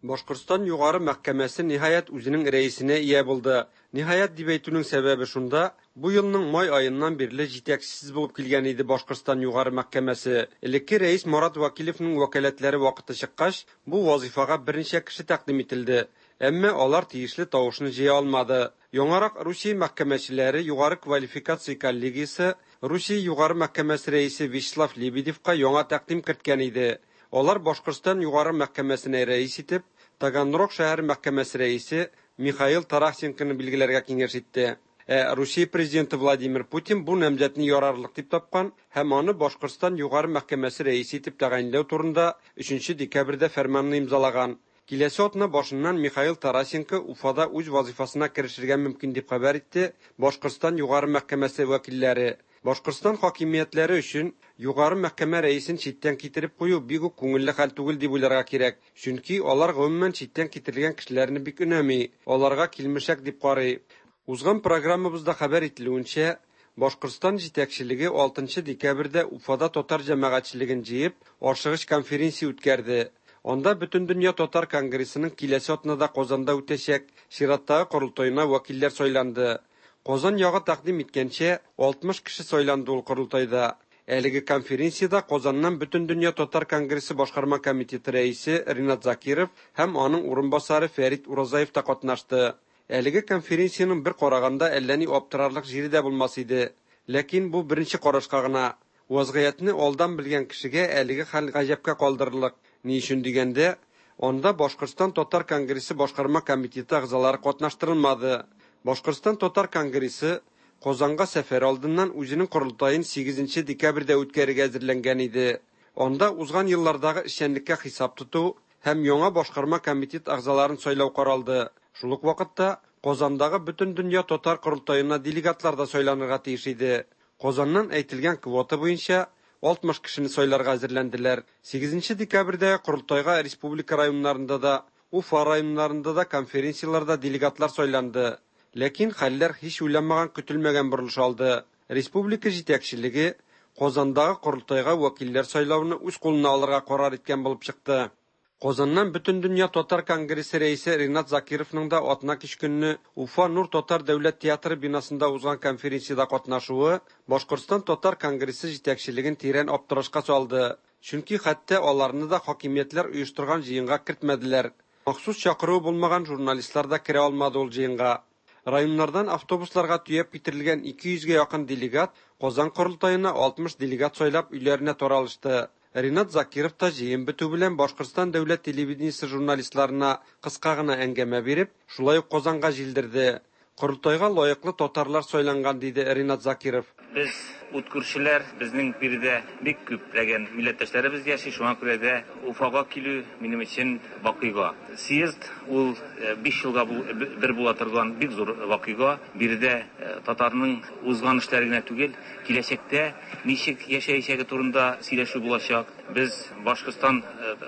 Башкортстан Югары мәхкәмәсе ниһаять үзенең рәисенә ия булды. Ниһаять дип әйтүнең сәбәбе шунда, бу елның май аеннан бирле җитәкчесез булып килгән иде Башкортстан Югары мәхкәмәсе. Элекке рәис Марат Вәкилевның вәкаләтләре вакыты чыккач, бу вазыйфага берничә кеше тәкъдим ителде. Әмма алар тиешле тавышны җыя алмады. Яңарак Русия мәхкәмәчеләре югары квалификация коллегиясе Русия Югары мәхкәмәсе рәисе Вячеслав Лебедевка яңа тәкъдим керткән иде. Алар Башкортстан Югары мәхкәмәсенә рәис итеп Таганрог шәһәр мәхкәмәсе рәисе Михаил Тарасенконы билгеләргә киңәш итте. Ә Русия президенты Владимир Путин бу намзәтне ярарлык дип тапкан һәм аны Башкортстан Югары мәхкәмәсе рәисе итеп тәгаенләү турында 3 декабрьдә фәрманны имзалаган. Киләсе атна башыннан Михаил Тарасенко Уфада үз вазыйфасына керешергә мөмкин дип хәбәр итте Башкортстан Югары мәхкәмәсе вәкилләре. Башкортстан хакимиятләре өчен Югары мәхкәмә рәисен читтән китереп кую бик үк күңелле хәл түгел дип уйларга кирәк. Чөнки алар гомумән читтән китерелгән кешеләрне бик өнәми, аларга килмешәк дип карый. Узган программабызда хәбәр ителүенчә, Башкортстан җитәкчелеге 6 декабрьдә Уфада татар җәмәгатьчелеген җыеп, ашыгыч конференция үткәрде. Анда Бөтендөнья татар конгрессының киләсе атнада Казанда үтәчәк чираттагы корылтаена вәкилләр сайланды. Казан ягы тәкъдим иткәнчә, 60 кеше сайланды ул корылтайда. Әлеге конференциядә Казаннан Бөтендөнья татар конгрессы башкарма комитеты рәисе Ринат Закиров һәм аның урынбасары Фәрит Уразаев та катнашты. Әлеге конференциянең бер караганда әллә ни аптырарлык җире дә булмас иде. Ләкин бу беренче карашка гына. Вазгыятьне алдан белгән кешегә әлеге хәл гаҗәпкә калдырырлык. Ни өчен дигәндә, анда Башкортстан татар конгрессы башкарма комитеты әгъзалары катнаштырылмады. Башкортстан татар конгрессы Казанга сәфәр алдыннан үзенең корылтаен 8 декабрьдә үткәрергә әзерләнгән иде. Анда узган еллардагы эшчәнлеккә хисап тоту һәм яңа башкарма комитет әгъзаларын сайлау каралды. Шул ук вакытта Казандагы Бөтендөнья татар корылтаена делегатлар да сайланырга тиеш иде. Казаннан әйтелгән квота буенча 60 кешене сайларга әзерләнделәр. 8 декабрьдә корылтайга республика районнарында да, Уфа районнарында да конференцияләрдә делегатлар сайланды. Ләкин хәлләр һич уйланмаган көтелмәгән борылыш алды. Республика җитәкчелеге Казандагы корылтайга вәкилләр сайлауны үз кулына алырга карар иткән булып чыкты. Казаннан Бөтендөнья татар конгрессы рәисе Ринат Закировның да атнакич көнне Уфа Нур татар дәүләт театры бинасында узган конференциядә катнашуы Башкортстан татар конгрессы җитәкчелеген тирән аптырашка салды. Чөнки хәтта аларны да хакимиятләр оештырган җыенга кертмәделәр. Махсус чакыруы булмаган журналистлар да керә алмады ул җыенга. Районнардан автобусларга төяп китерелгән 200 гә якын делегат Казан корылтаена 60 делегат сайлап өйләренә таралышты. Ринат Закиров та җыен бетү белән Башкортстан дәүләт телевидениесе журналистларына кыска гына әңгәмә биреп, шулай ук Казанга җилдерде. Корылтайга лаеклы татарлар сайланган, диде Ринат Закиров. Без ут күршеләр, безнең биредә бик күпләгән милләттәшләребез яши, шуңа күрә дә Уфага килү минем өчен вакыйга. Съезд ул 5 елга бер була торган бик зур вакыйга. Биредә татарның узган эшләре генә түгел, киләчәктә ничек яшәячәге турында сөйләшү булачак. Без Башкортстан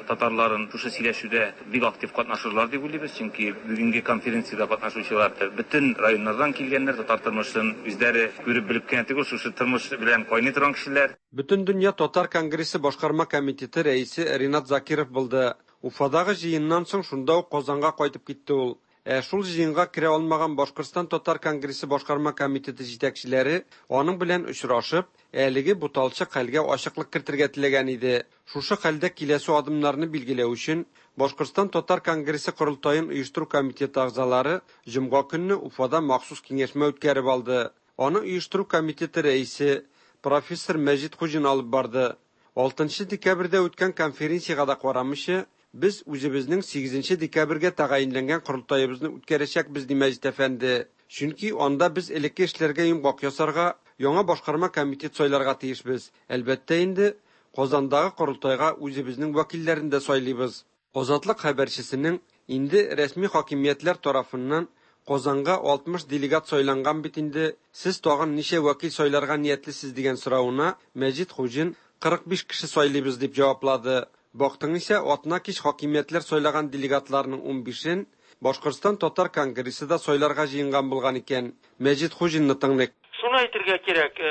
татарларын шушы сөйләшүдә бик актив катнашырлар дип уйлыйбыз, чөнки бүгенге конференциядә катнашучылар бөтен районнардан килгәннәр, татар тормышын үзләре күреп белеп кенә түгел, шушы тормыш белән кайный торган кешеләр. Бөтендөнья татар конгрессы башкарма комитеты рәисе Ринат Закиров булды. Уфадагы җыеннан соң шунда ук Казанга кайтып китте ул. Ә шул җыенга керә алмаган Башкортстан татар конгрессы башкарма комитеты җитәкчеләре аның белән очрашып, әлеге буталчык хәлгә ачыклык кертергә теләгән иде. Шушы хәлдә киләсе адымнарны билгеләү өчен Башкортстан татар конгрессы корылтаен оештыру комитеты әгъзалары җомга көнне Уфада махсус киңәшмә үткәреп алды. Аны оештыру комитеты рәисе, профессор Мәҗит Хуҗин алып барды. 6 декабрьдә үткән конференциягә дә карамыйча, без үзебезнең 8 декабрьгә тәгаенләнгән корылтаебызны үткәрәчәкбез, ди Мәҗит әфәнде. Чөнки анда без элекке эшләргә йомгак ясарга, яңа башкарма комитет сайларга тиешбез. Әлбәттә инде, Казандагы корылтайга үзебезнең вәкилләрне дә сайлыйбыз. Азатлык хәбәрчесенең инде рәсми хакимиятләр тарафыннан Казанга 60 делегат сайланган бит инде, сез тагын ничә вәкил сайларга ниятлисез дигән соравына Мәҗит Хуҗин 45 кеше сайлыйбыз дип җаваплады. Бактың исә, атнакич хакимиятләр сайлаган делегатларның 15-ен Башкортстан татар конгрессы да сайларга җыенган булган икән. Мәҗит Хуҗинны тыңлыйк. Шуны әйтергә кирәк,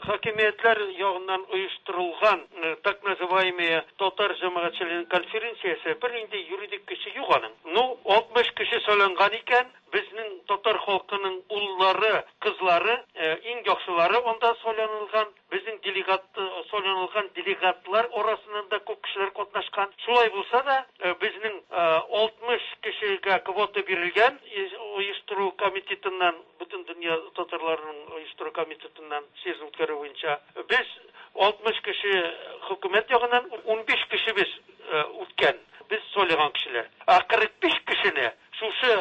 хакимиятләр ягыннан оештырылган так называемая татар җәмәгатьчелегенең конференциясе бернинди юридик көче юк аның. Ну, 60 кеше сайланган икән, безнең татар халкының уллары, кызлары, иң яхшылары анда сайланылган. Безнең делегат сайланылган делегатлар арасыннан да күп кешеләр катнашкан. Шулай булса да, безнең 60 кешегә квота бирелгән оештыру комитетыннан, Бөтендөнья татарларының оештыру комитетыннан съезд үткәрү буенча. Без 60 кеше хөкүмәт ягыннан, 15 кешебез үткән, без сайлаган кешеләр. Ә 45 кешене шушы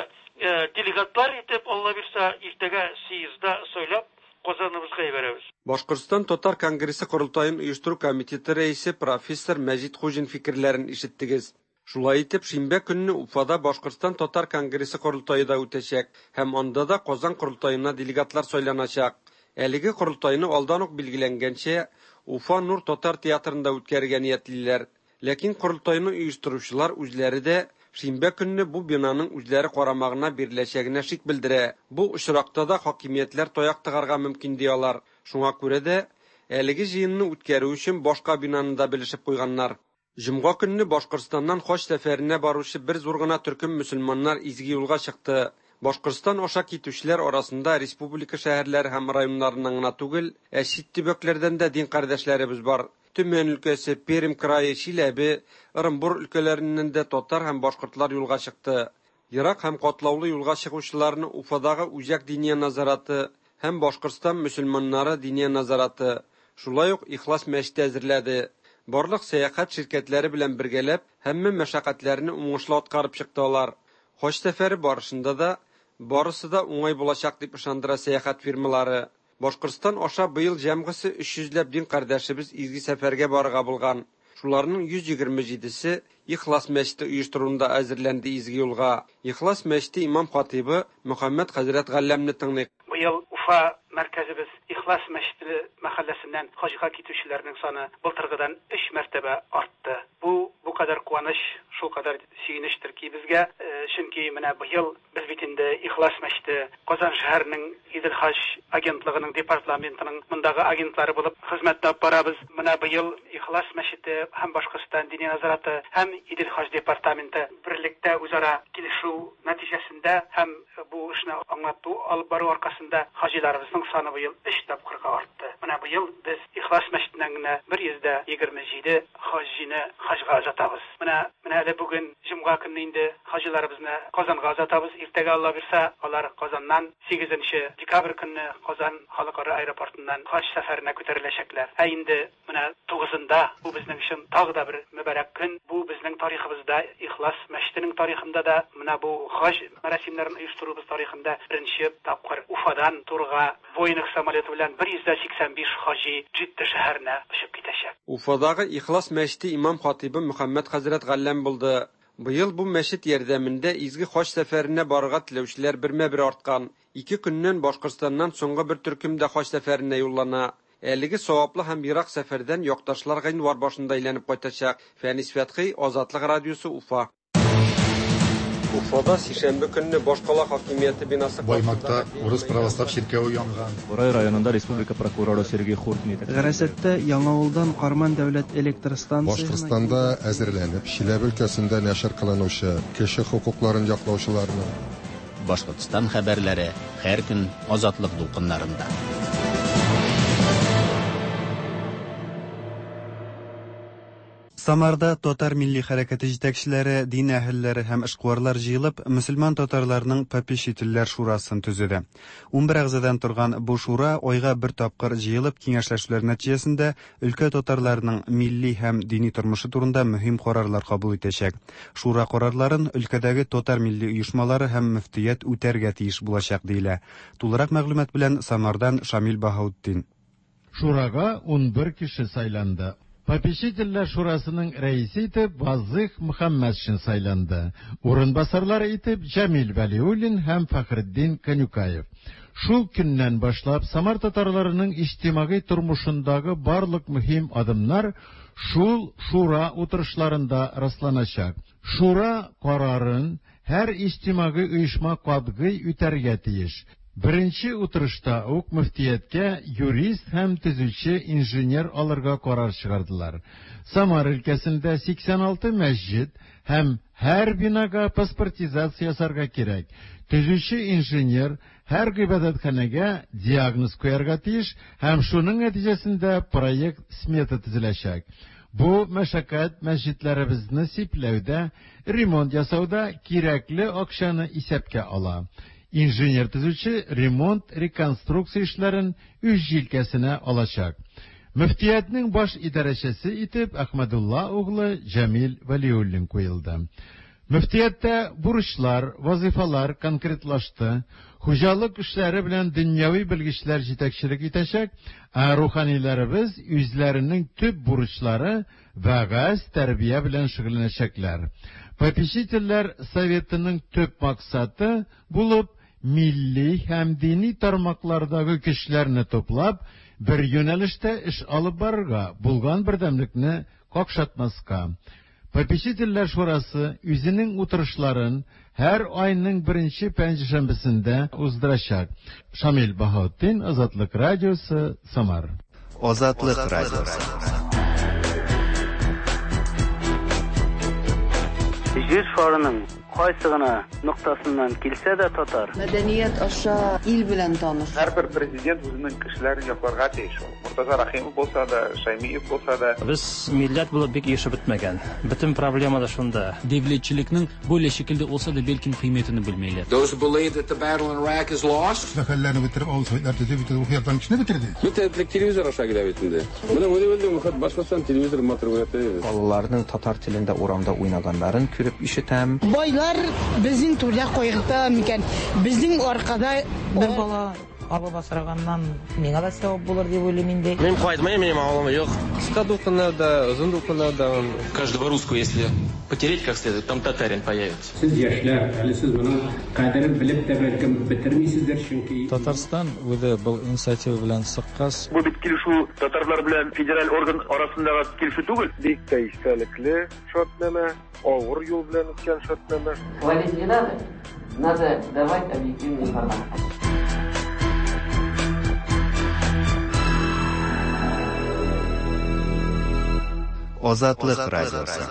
делегатлар итеп, Алла бирса, иртәгә съездда сайлап, Казаныбызга җибәрәбез. Башкортстан татар конгрессы корылтаен оештыру комитеты рәисе профессор Мәҗит Хуҗин фикерләрен ишеттегез. Шулай итеп, шимбә көнне Уфада Башкортстан татар конгрессы корылтае да үтәчәк һәм анда да Казан корылтаена делегатлар сайланачак. Әлеге корылтайны алдан ук билгеләнгәнчә, Уфа Нур татар театрында үткәрергә ниятлиләр. Ләкин корылтайны оештыручылар үзләре дә шимбә көнне бу бинаның үзләре карамагына биреләчәгенә шик белдерә. Бу очракта да хакимиятләр таяк тыгарга мөмкин ди алар. Шуңа күрә дә әлеге җыенны үткәрү өчен башка бинаны да белешеп куйганнар. Җомга көнне Башкортстаннан хаҗ сәфәренә баручы бер зур гына төркем мөселманнар изге юлга чыкты. Башкортстан аша китүчеләр арасында республика шәһәрләре һәм районнарыннан гына түгел, ә чит төбәкләрдән дә дин кардәшләребез бар. Төмән өлкәсе, Пермь крае, Чиләбе, Ырынбур өлкәләреннән дә татар һәм башкортлар юлга чыкты. Ерак һәм катлаулы юлга чыгучыларны Уфадагы Үзәк диния назараты һәм Башкортстан мөселманнары диния назараты, шулай ук Ихлас мәчете әзерләде. Барлык сәяхәт ширкәтләре белән бергәләп, һәммә мәшәкатьләрне уңышлы аткарып чыкты алар. Хаҗ сәфәре барышында да барысы да уңай булачак дип ышандыра сәяхәт фирмалары. Башкортстан аша быел җәмгысе 300 ләп дин кардәшебез изге сәфәргә барырга булган. Шуларның 127-се Ихлас мәчете оештыруында әзерләнде изге юлга. Ихлас мәчете имам-хатыйбы Мөхәммәд хәзрәт Галләмне тыңлыйк. Быел Уфа мәркәзебез Ихлас мәчете мәхәлләсеннән хаҗга китүчеләрнең саны былтыргыдан өч мәртәбә артты. Бу бу кадәр куаныч, шулкадәр сөенечтер ки безгә, чөнки менә быел без бит инде Ихлас мәчете Казан шәһәренең Идел хаҗ агентлыгының департаментының мондагы агентлары булып хезмәт алып барабыз. Менә быел Ихлас Ихлас мәчете һәм Башкортстан Диния нәзарәте һәм Идел хаҗ департаменты берлектә үзара килешү нәтиҗәсендә һәм бу эшне аңлату алып бару аркасында хаҗиларыбызның саны быел өч тапкырга артты. Менә быел без Ихлас мәчетеннән генә 127 хаҗины хаҗга озатабыз. Менә менә әле бүген җомга көнне инде хаҗиларыбызны Казанга озатабыз. Иртәгә Алла бирса, алар Казаннан 8 декабрь көнне Казан халыкара аэропортыннан хаҗ сәфәренә күтәреләчәкләр. Ә инде менә 9-ында бу безнең өчен тагы да бер мөбарәк көн. Бу безнең тарихыбызда, Ихлас мәчетенең тарихында да менә бу хаҗ мәрасимнәрен оештыруыбыз тарихында беренче тапкыр Уфадан турыга Боинг самолеты белән 185 хаҗи Джидда шәһәренә очып китәчәк. Уфадагы Ихлас мәчете имам-хатыйбы Мөхәммәд хәзрәт Галләм булды. Быел бу мәчет ярдәмендә изге хаҗ сәфәренә барырга теләүчеләр бермә-бер арткан. Ике көннән Башкортстаннан соңгы бер төркем дә хаҗ сәфәренә юллана. Әлеге саваплы һәм ерак сәфәрдән якташлар гыйнвар башында әйләнеп кайтачак. Фәнис Фәтхи, Азатлык радиосы, Уфа. Уфада сишәмбе көнне башкала хакимияте бинасы Баймакта урыс православ чиркәве янган. Борай районында республика прокуроры Сергей Хуртин итәкчелегендәге. Гарәсәттә Яңавылдан Карман дәүләт электр станциясенә Башкортстанда әзерләнеп, Чиләбе өлкәсендә нәшер кылынучы кеше хокукларын яклаучыларның, Башкортстан хәбәрләре һәр көн Азатлык дулкыннарында. Самарда татар милли хәрәкәте җитәкчеләре, дин әһелләре һәм эшкуарлар җыелып, мөселман татарларының попечительләр шурасын төзеде. 11 әгъзадан торган бу шура айга бер тапкыр җыелып киңәшләшүләр нәтиҗәсендә өлкә татарларының милли һәм дини тормышы турында мөһим карарлар кабул итәчәк. Шура карарларын өлкәдәге татар милли оешмалары һәм мөфтият үтәргә тиеш булачак диелә. Тулырак мәгълүмат белән Самардан Шамил Баһаутдин. Шурага 11 кеше сайланды. Попечительләр шурасының рәисе итеп Вазых Мөхәммәтшин сайланды. Урынбасарлары итеп Җәмил Вәлиуллин һәм Фәхретдин Канюкаев. Шул көннән башлап Самар татарларының иҗтимагый тормышындагы барлык мөһим адымнар шул шура утырышларында расланачак. Шура карарын һәр иҗтимагый оешма катгый үтәргә тиеш. Беренче утырышта ук мөфтияткә юрист һәм төзүче инженер алырга карар чыгардылар. Самар өлкәсендә 86 мәсҗид һәм һәр бинага паспортизация ясарга кирәк. Төзүче инженер һәр гыйбадәтханәгә диагноз куярга тиеш һәм шуның нәтиҗәсендә проект смета төзеләчәк. Бу мәшәкать мәсҗидләребезне сипләүдә, ремонт ясауда кирәкле акчаны исәпкә ала. Инженер төзүче ремонт, реконструкция эшләрен үз җилкәсенә алачак. Мөфтиятнең баш идарәчесе итеп Әхмәдулла углы Җәмил Вәлиуллин куелды. Мөфтияттә бурычлар, вазифалар конкретлашты. Хуҗалык эшләре белән дөньяви белгечләр җитәкчелек итәчәк, ә руханиләребез үзләренең төп бурычлары вәгазь, тәрбия белән шөгыльләнәчәкләр. Попечительләр советының төп максаты булып милли һәм дини тармаклардагы көчләрне туплап, бер юнәлештә эш алып барырга, булган бердәмлекне какшатмаска. Попечительләр шурасы үзенең утырышларын һәр айның беренче пәнҗешәмбесендә уздырачак. Шамил Баһаутдин, Азатлык радиосы, Самар. Азатлык радиосы. Җир шарының кайсы гына ноктасыннан килсә дә татар. Мәдәният аша ил белән таныш. Һәрбер президент үзенең кешеләрен якларга тиеш ул. Мортаза Рәхимов булса да, Шәймиев булса да. Без милләт булып бик оешып бетмәгән. Бөтен проблема да шунда. Девлетчелекнең бөйлә шикелдә olsa да бәлкем кыйммәтен белмиләр. Those who believe that the battle in Iraq is lost. Мәхәлләне бетереп, авыл советлар төзеп, бөтен рухи яктан кешене бетерде. Бөтен телевизор аша килә бит инде. Менә үзе Башкортстан телевизор матур күрәтә. Балаларның татар телендә урамда уйнаганнарын күреп ишетәм. Байлар безнең түрдә кайгырта микән? Безнең аркада бер бала алып асраганнан миңа да сәвап булыр дип уйлыйм инде. Мин кайтмыйм, минем авылым юк. Кыска дулкыннарда, озын дулкыннарда. Каждого русского, если потереть как следует, там татарин появится. Сез яшьләр, әле сез моның кадерен белеп тә бәлкем бетермисездер, чөнки Татарстан үзе был инициатива белән чыккач. Бу бит килешү татарлар белән федераль орган арасындагы килешү түгел. Бик тә истәлекле шартнамә, авыр юл белән үткән шартнамә. Хвалить не надо, надо давать объективную информацию. Азатлык радиосы.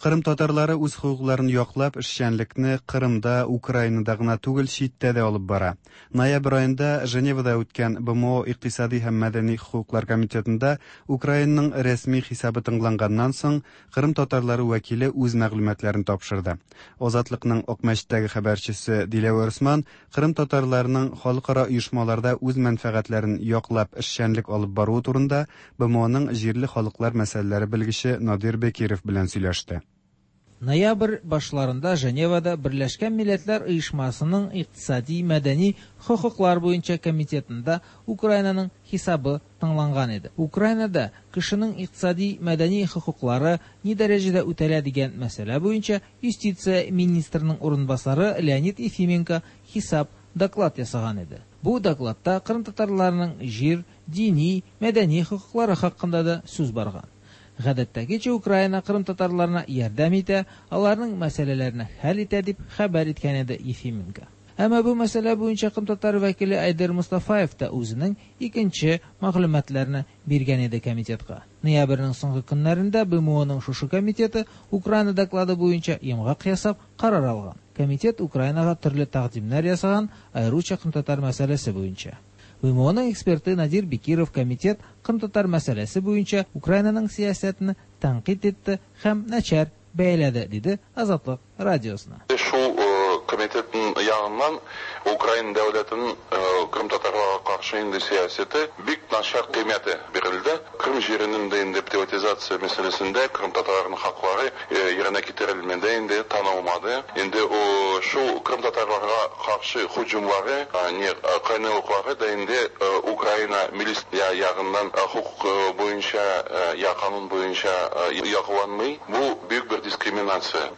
Кырым татарлары үз хокукларын яклап эшчәнлекне Кырымда, Украинада гына түгел, читтә дә алып бара. Ноябрь аенда Женевада үткән БМО икътисади һәм мәдәни хокуклар комитетында Украинаның рәсми хисабы тыңланганнан соң, Кырым татарлары вәкиле үз мәгълүматларын тапшырды. Азатлыкның Акмәчеттәге хәбәрчесе Диләвәр Усман Кырым татарларының халыкара оешмаларда үз мәнфәгатьләрен яклап эшчәнлек алып баруы турында БМОның җирле халыклар мәсьәләләре белгече Надир Бекиров белән сөйләште. Ноябрь башларында Женевада Берләшкән Милләтләр Оешмасының икътисади-мәдәни хокуклар буенча комитетында Украинаның хисабы тыңланган иде. Украинада кешенең икътисади-мәдәни хокуклары ни дәрәҗәдә үтәлә дигән мәсьәлә буенча юстиция министрының урынбасары Леонид Ефименко хисап доклад ясаган иде. Бу докладта кырымтатарларның җир, дини, мәдәни хокуклары хакында да сүз барган. Гадәттәгечә Украина кырымтатарларына ярдәм итә, аларның мәсьәләләрне хәл итә дип хәбәр иткән иде Ефименко. Әмма бу мәсьәлә буенча кырымтатар вәкиле Айдер Мустафаев та үзенең икенче мәгълүматларны биргән иде комитетка. Ноябрьнең соңгы көннәрендә БМОның шушы комитеты Украина доклады буенча йомгак ясап карар алган. Комитет Украинага төрле тәкъдимнәр ясаган, аеруча кырымтатар мәсьәләсе буенча. БМОның эксперты Надир Бекиров комитет кырымтатар мәсьәләсе буенча Украинаның сәясәтен тәнкыйть итте һәм начар бәяләде, диде Азатлык радиосына. Шул комитетның ягыннан Украина дәүләтенең кырымтатарларга каршы инде сәясәте бик начар кыйммәте бирелде. Крым җиренең дә инде приватизация мәсьәләсендә кырымтатарларның хаклары еренә китерелмәде, инде танылмады. Инде шул кырымтатарларга каршы һөҗүмләре, не кайнарлыклары да инде Украина милли ягыннан хокук буенча я канун буенча якланмый. Бу бөек бер дискриминация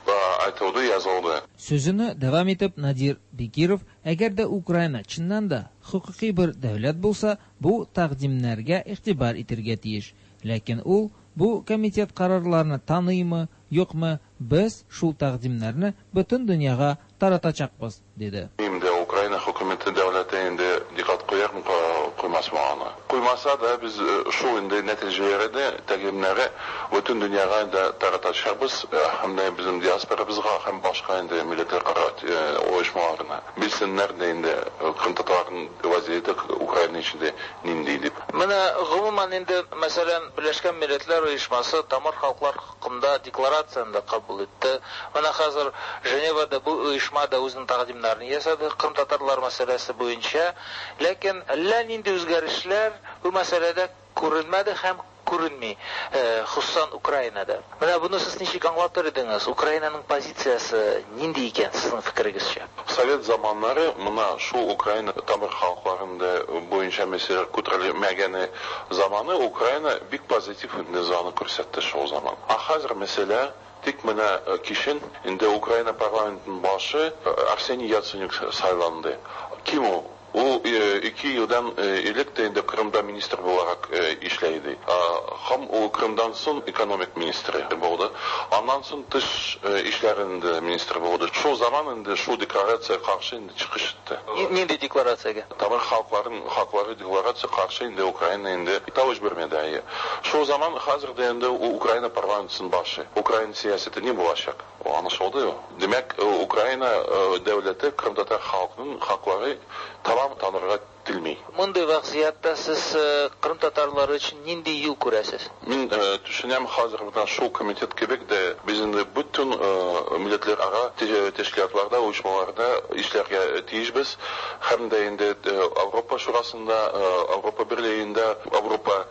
айтылды, язылды. Сүзене дәвам итеп Надир Бекиров, әгәр дә Украина чыннан да хокукый бер дәүләт булса, бу тәкъдимнәргә игътибар итәргә тиеш. Ләкин ул бу комитет карарларны таныймы, юкмы, без шул тәкъдимнәрне бөтен дөньяга таратачакбыз, диде. Инде Украина хөкүмәте дәүләте инде диккать куярмы, куймасмы аны. Куймаса да без шул инде нәтиҗәләре дә, тәкъдимнәре бөтен дөньяга да таратачакбыз, һәм дә безнең диаспорабызга һәм башка инде милләтләр оешмаларына. Белсеннәр дә инде кырымтатарларның вазияте Украина эчендә нинди дип. Менә гомумән инде, мәсәлән, Берләшкән Милләтләр Оешмасы тамыр халыклар хакында декларацияне дә кабул итте. Менә хәзер Женевада бу оешма да үзенең тәкъдимнәрен ясады кырымтатарлар мәсьәләсе буенча. Ләкин әллә нинди үзгәрешләр бу мәсьәләдә күренмәде һәм күренми, хосусан Украинада. Менә буны сез ничек аңлатыр идегез? Украинаның позициясе нинди икән сезнең фикерегезчә? Совет заманнары мына шул Украина тамыр халыкларында буенча мәсьәләләр күтәрелмәгәне заманы Украина бик позитив низаны күрсәтте шул заман. Ә хәзер мәсьәлә тик менә кичен инде Украина парламентының башы Арсений Яценюк сайланды. Ким ул? Ул 2 елдан элек тә инде Кырымда министр буларак эшләй иде. Һәм ул Кырымдан соң экономик министры булды. Аннан соң тыш эшләрендә министр булды. Шул заман инде шул декларация каршы инде чыгыш итте. Нинди декларациягә? Тамыр халыкларының хаклары декларация каршы инде Украина инде тавыш бирмәде. Шул заман хәзер дә инде Украина парламентының башы. Украина сәясәте ни булачак? Аңлашылды. Димәк, Украина дәүләте кырымтатар халкының хаклары тамам танырга телми. Мондый вазгыятьтә сез кырымтатарлар өчен нинди юл күрәсез? Мин төшенәм, хәзер менә шул комитет кебек дә без инде бөтен милләтләр ара тәшкилатларда, оешмаларда эшләргә тиешбез. Һәм дә инде Авропа шурасында, Авропа берлегендә, Авропа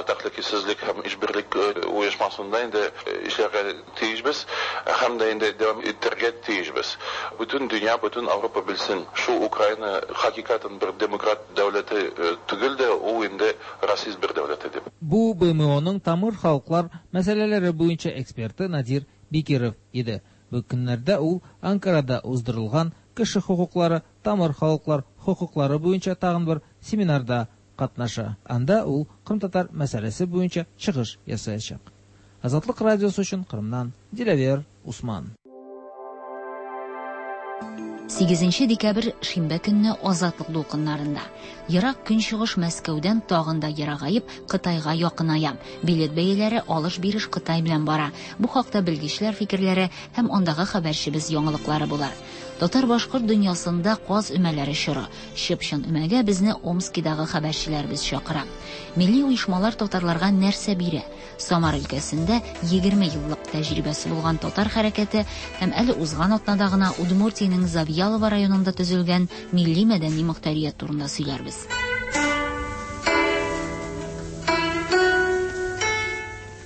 тәхликисезлек һәм ишбирлек оешмасында инде эшләргә тиешбез һәм дә инде дәвам итәргә тиешбез. Бөтен дөнья, бөтен Авропа белсен, шул Украина хакыйкатен бер демократ дәүләте түгел дә, ул инде расист бер дәүләте дип. Бу БМОның тамыр халыклар мәсьәләләре буенча эксперты Надир Бекиров иде. Бу көннәрдә ул Анкарада уздырылган кеше хокуклары, тамыр халыклар хокуклары буенча тагын бер семинарда катнаша. Анда ул кырымтатар мәсьәләсе буенча чыгыш ясаячак. Азатлык радиосы өчен Кырымнан Диләвер Усман. Сигезенче декабрь шимбә көнне Азатлык дулкыннарында. Ерак Көнчыгыш Мәскәүдән тагын да ерагаеп, Кытайга якыная. Билет бәяләре алыш-биреш Кытай белән бара. Бу хакта белгечләр фикерләре һәм андагы хәбәрчебез яңалыклары булыр. Татар-башкорт дөньясында каз өмәләре чоры. Чып-чын өмәгә безне Омскидагы хәбәрчеләребез чакыра. Милли оешмалар татарларга нәрсә бирә? Самар өлкәсендә 20 еллык тәҗрибәсе булган татар хәрәкәте һәм әле узган атнада гына Удмуртиянең Завьялово районында төзелгән милли-мәдәни мохтарият турында сөйләрбез.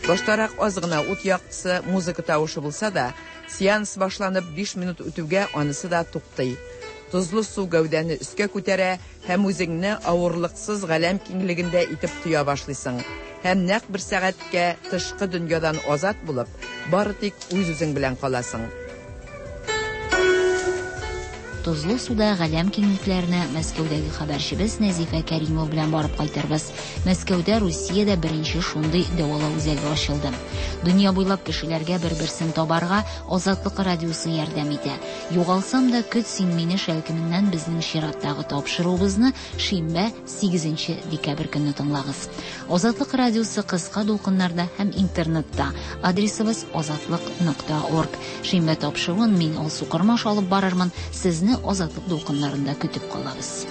Баштарак аз гына ут яктысы, музыка тавышы булса да, сеанс башланып 5 минут үтүгә анысы да туктый. Тозлы су гәүдәне өскә күтәрә һәм үзеңне авырлыксыз галәм киңлегендә итеп тоя башлыйсың. Һәм нәкъ бер сәгатькә тышкы дөньядан азат булып, бары тик үз-үзең белән каласың. Тозлы суда галәм киңлекләренә Мәскәүдәге хәбәрчебез Нәзифә Кәримова белән барып кайтырбыз. Мәскәүдә Русиядә беренче шундый дәвалау үзәге ачылды. Дөнья буйлап кешеләргә бер-берсен табарга Азатлык радиосы ярдәм итә. Югалсам да көт син мине шәлкеменнән безнең чираттагы тапшыруыбызны шимбә, 8 декабрь көнне тыңлагыз. Азатлык радиосы кыска дулкыннарда һәм интернетта. Адресыбыз азатлык.орг. Шимбә тапшыруын мин Алсу Кормаш алып барырмын. Сезне Азатлык дулкыннарында көтеп калабыз.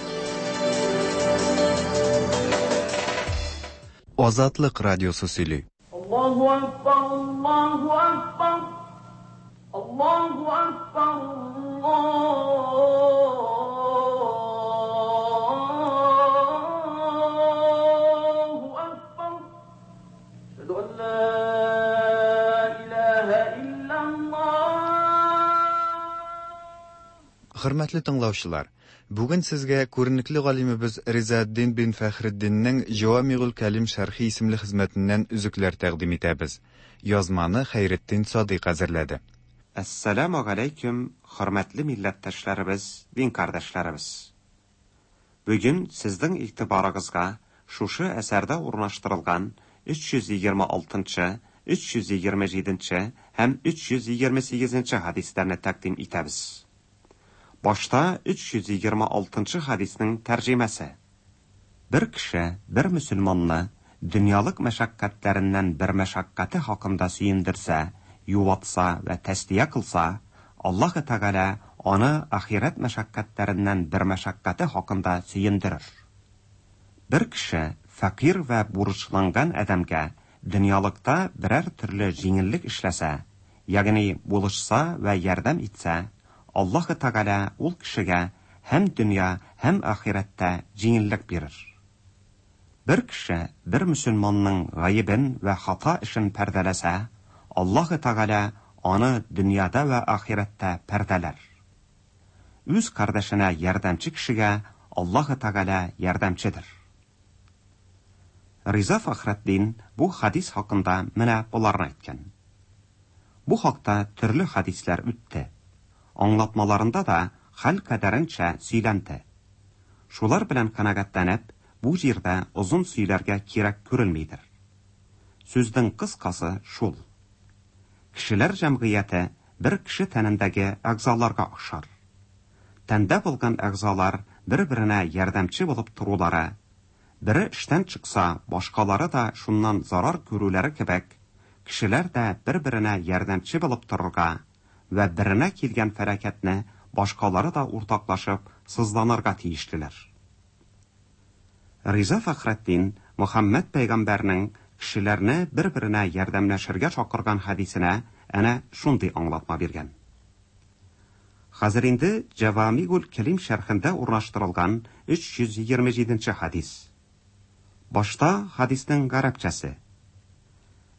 Азатлык радиосы сөйли. Аллаһу акбар, Аллаһу акбар. Аллаһу акбар, Аллаһу акбар. Әшһәду ан ла илаһа иллаллаһ. Хөрмәтле тыңлаучылар, бүген сезгә күренекле галимебез Ризаэддин бин Фәхретдиннең Җавамигуль Кәлим шәрхи исемле хезмәтеннән өзекләр тәкъдим итәбез. Язманы Хәйретдин Садыйк әзерләде. Әссәламү галәйкүм, хөрмәтле милләттәшләребез, дин кардәшләребез! Бүген сезнең игътибарыгызга шушы әсәрдә урнаштырылган 326 нчы, 327 нче һәм 328 нче хәдисләрне тәкъдим итәбез. Башта 326 нчы хәдиснең тәрҗемәсе. Бер кеше бер мөселманны дөньялык мәшәкатьләреннән бер мәшәкате хакында сөендерсә, юатса вә тәслия кылса, Аллаһы Тәгалә аны ахирәт мәшәкатьләреннән бер мәшәкате хакында сөендерер. Бер кеше фәкыйрь вә бурычланган адәмгә дөньялыкта берәр төрле җиңеллек эшләсә, ягъни булышса вә ярдәм итсә, Аллаһы Тәгалә ул кешегә һәм дөнья, һәм ахирәттә җиңеллек бирер. Бер кеше бер мөселманның гаебен вә хата эшен пәрдәләсә, Аллаһы Тәгалә аны дөньяда вә ахирәттә пәрдәләр. Үз кардәшенә ярдәмче кешегә Аллаһы Тәгалә ярдәмчедер. Риза Фәхретдин бу хәдис хакында менә боларны әйткән. Бу хакта төрле хәдисләр үтте. Аңлатмаларында да хәл кадәренчә сөйләнде. Шулар белән канәгатьләнеп, бу җирдә озын сөйләргә кирәк күрелмидер. Сүзнең кыскасы шул. Кешеләр җәмгыяте бер кеше тәнендәге әгъзаларга охшар. Тәндә булган әгъзалар бер-беренә ярдәмче булып торулары, бере эштән чыкса, башкалары да шуннан зарар күрүләре кебек, кешеләр дә бер-беренә ярдәмче булып торырга вә беренә килгән фәлакәтне башкалары да уртаклашып сызланырга тиешлеләр. Риза Фәхретдин Мөхәммәд пәйгамбәрнең кешеләрне бер-беренә ярдәмләшергә чакырган хәдисенә әнә шундый аңлатма биргән. Хәзер инде Җәвамигуль Кәлим шәрхендә урнаштырылган 327 нче хәдис. Башта хәдиснең гарәпчәсе.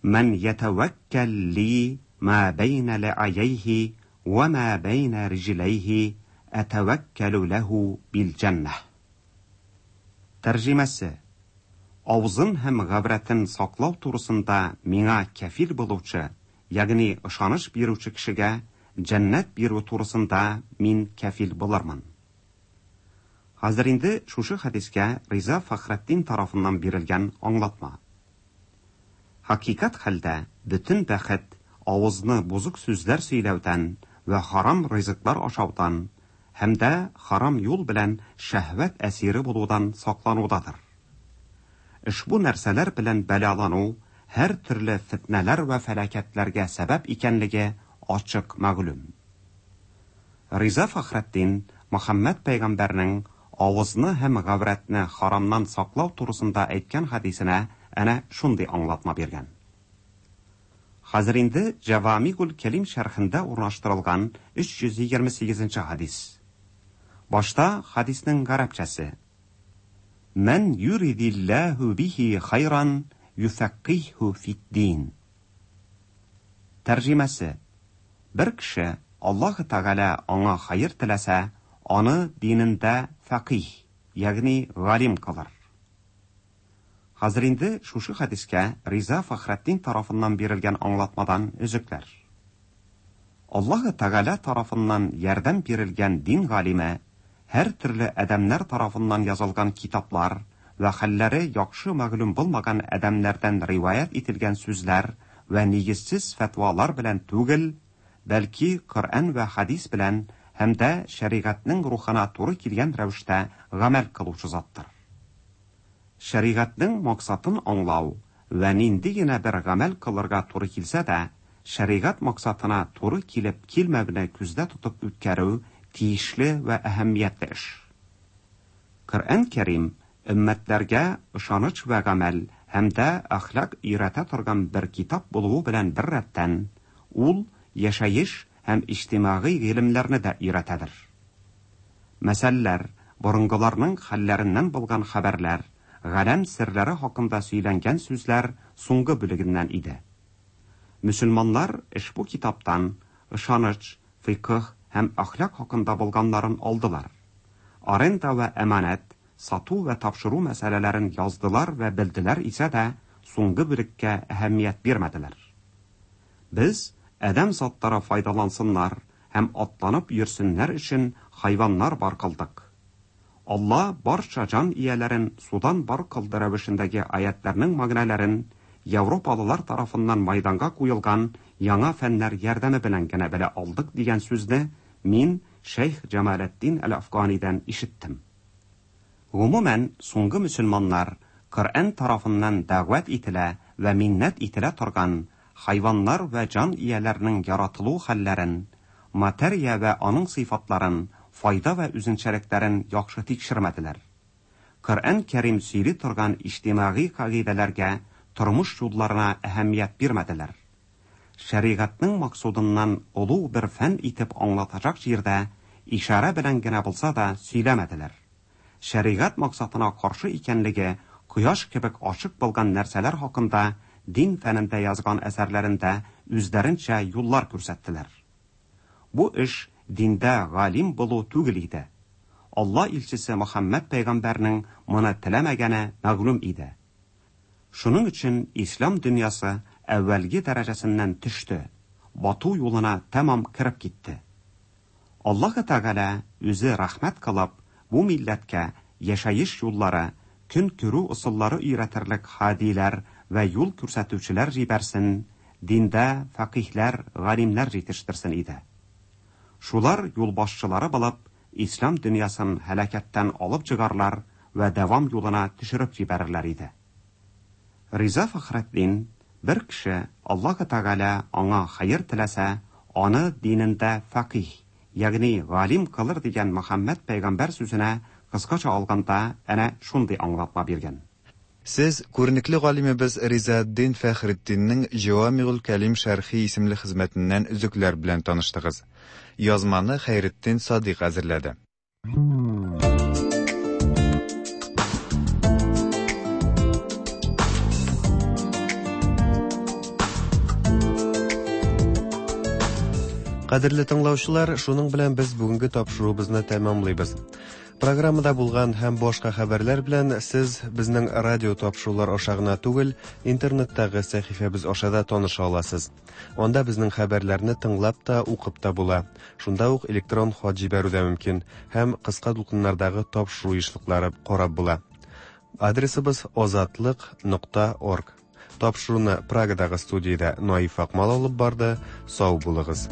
Мән ятәвәккәл ли ма бәйнә ләайәйһи вә ма бәйнә риҗләйһи әтәвәккәлү ләһү бил җәннәһ. Тәрҗемәсе. Авызын һәм гаврәтен саклау турысында миңа кәфил булучы, ягъни ышаныч бирүче кешегә җәннәт бирү турысында мин кәфил булырмын. Хәзер инде шушы хәдискә Риза Фәхретдин тарафыннан бирелгән аңлатма. Хакыйкать хәлдә бөтен бәхет авызны бозык сүзләр сөйләүдән вә харам ризыклар ашаудан һәм дә харам юл белән шәһвәт әсире булудан сакланудадыр. Ошбу нәрсәләр белән бәлалану һәр төрле фетнәләр вә фәлакәтләргә сәбәп икәнлеге ачык мәгълүм. Риза Фәхретдин Мөхәммәд пәйгамбәрнең авызны һәм гаврәтне харамнан саклау турысында әйткән хәдисенә әнә шундый аңлатма биргән. Хәзер инде Җәвамигуль Кәлим шәрхендә урнаштырылган 328 нче хәдис. Башта хәдиснең гарәпчәсе. Мән юридиллаһу бихи хайран юфәккыйһу фид-дин. Тәрҗемәсе. Бер кеше Аллаһы Тәгалә аңа хәер теләсә, аны динендә фәкыйһ, ягъни галим кылыр. Хәзер инде шушы хәдискә Риза Фәхретдин тарафыннан бирелгән аңлатмадан өзекләр. Аллаһы Тәгалә тарафыннан ярдәм бирелгән дин галиме һәр төрле адәмнәр тарафыннан язылган китаплар вә хәлләре яхшы мәгълүм булмаган адәмнәрдән риваять ителгән сүзләр вә нигезсез фәтвалар белән түгел, бәлки Коръән вә хәдис белән һәм дә шәригатьнең рухына туры килгән рәвештә гамәл кылучы заттыр. Шәригатьнең максатын аңлау вә нинди генә бер гамәл кылырга туры килсә дә, шәригать максатына туры килеп килмәвне күздә тотып үткәрү тиешле вә әһәмиятле эш. Коръән Кәрим өммәтләргә ышаныч вә гамәл һәм дә әхлак өйрәтә торган бер китап булуы белән беррәттән, ул яшәеш һәм иҗтимагый гыйлемнәрне дә өйрәтәдер. Мәсәлләр, борынгыларның хәлләреннән булган хәбәрләр, галәм серләре хакында сөйләнгән сүзләр соңгы бүлегеннән иде. Мөселманнар ошбу китаптан ышаныч, фикһ һәм әхлак хакында булганнарын алдылар. Аренда вә әманәт, сату вә тапшыру мәсьәләләрен яздылар вә белделәр исә дә, соңгы бүлеккә әһәмият бирмәделәр. Без, адәм затлары файдалансыннар һәм атланып йөрсеннәр өчен хайваннар бар кылдык. Алла барча җан ияләрен судан бар кылды рәвешендәге аятьләрнең мәгънәләрен европалылар тарафыннан майданга куелган яңа фәннәр ярдәме белән генә белә алдык дигән сүзне мин шәйх Җамалетдин әл-Әфганидән ишеттем. Гомумән, соңгы мөселманнар Коръән тарафыннан дәгъват ителә вә миннәт ителә торган хайваннар вә җан ияләренең яратылу хәлләрен, материя вә аның сыйфатларын, файда вә үзенчәлекләрен яхшы тикшермәделәр. Коръән Кәрим сөйли торган иҗтимагый кагыйдәләргә, тормыш юлларына әһәмият бирмәделәр. Шәригатьнең максудыннан олуг бер фән итеп аңлатачак җирдә ишарә белән генә булса да сөйләмәделәр. Шәригать максатына каршы икәнлеге кояш кебек ачык булган нәрсәләр хакында дин фәнендә язган әсәрләрендә үзләренчә юллар күрсәттеләр. Бу эш диндә галим булу түгел иде. Алла илчесе Мөхәммәд пәйгамбәрнең моны теләмәгәне мәгълүм иде. Шуның өчен ислам дөньясы әүвәлге дәрәҗәсеннән төште, бату юлына тәмам кереп китте. Аллаһы Тәгалә үзе рәхмәт кылып, бу милләткә яшәеш юллары, көн күрү ысуллары өйрәтерлек һадиләр вә юл күрсәтүчеләр җибәрсен, диндә фәкыйһләр, галимнәр җитештерсен иде. Шулар юлбашчылары булып, ислам дөньясын һәлакәттән алып чыгарлар вә дәвам юлына төшереп җибәрерләр иде. Риза Фәхретдин, бер кеше Аллаһы Тәгалә аңа хәер теләсә, аны динендә фәкыйһ, ягъни галим кылыр дигән Мөхәммәд пәйгамбәр сүзенә кыскача алганда әнә шундый аңлатма биргән. Сез күренекле галимебез Ризаэтдин Фәхретдиннең Җәвамигуль Кәлим шәрхи исемле хезмәтеннән өзекләр белән таныштыгыз. Язманы Хәйретдин Садыйк әзерләде. Кадерле тыңлаучылар, шуның белән без бүгенге тапшыруыбызны тәмамлыйбыз. Программада булган һәм башка хәбәрләр белән сез безнең радио тапшырулар аша гына түгел, интернеттагы сәхифәбез аша да таныша аласыз. Анда безнең хәбәрләрне тыңлап та, укып та була. Шунда ук электрон хат җибәрү дә мөмкин һәм кыска дулкыннардагы тапшыру ешлыклары карап була. Адресыбыз озатлык.орг. Тапшыруны Прагадагы студиядә Наиф Акмал алып барды. Сау булыгыз.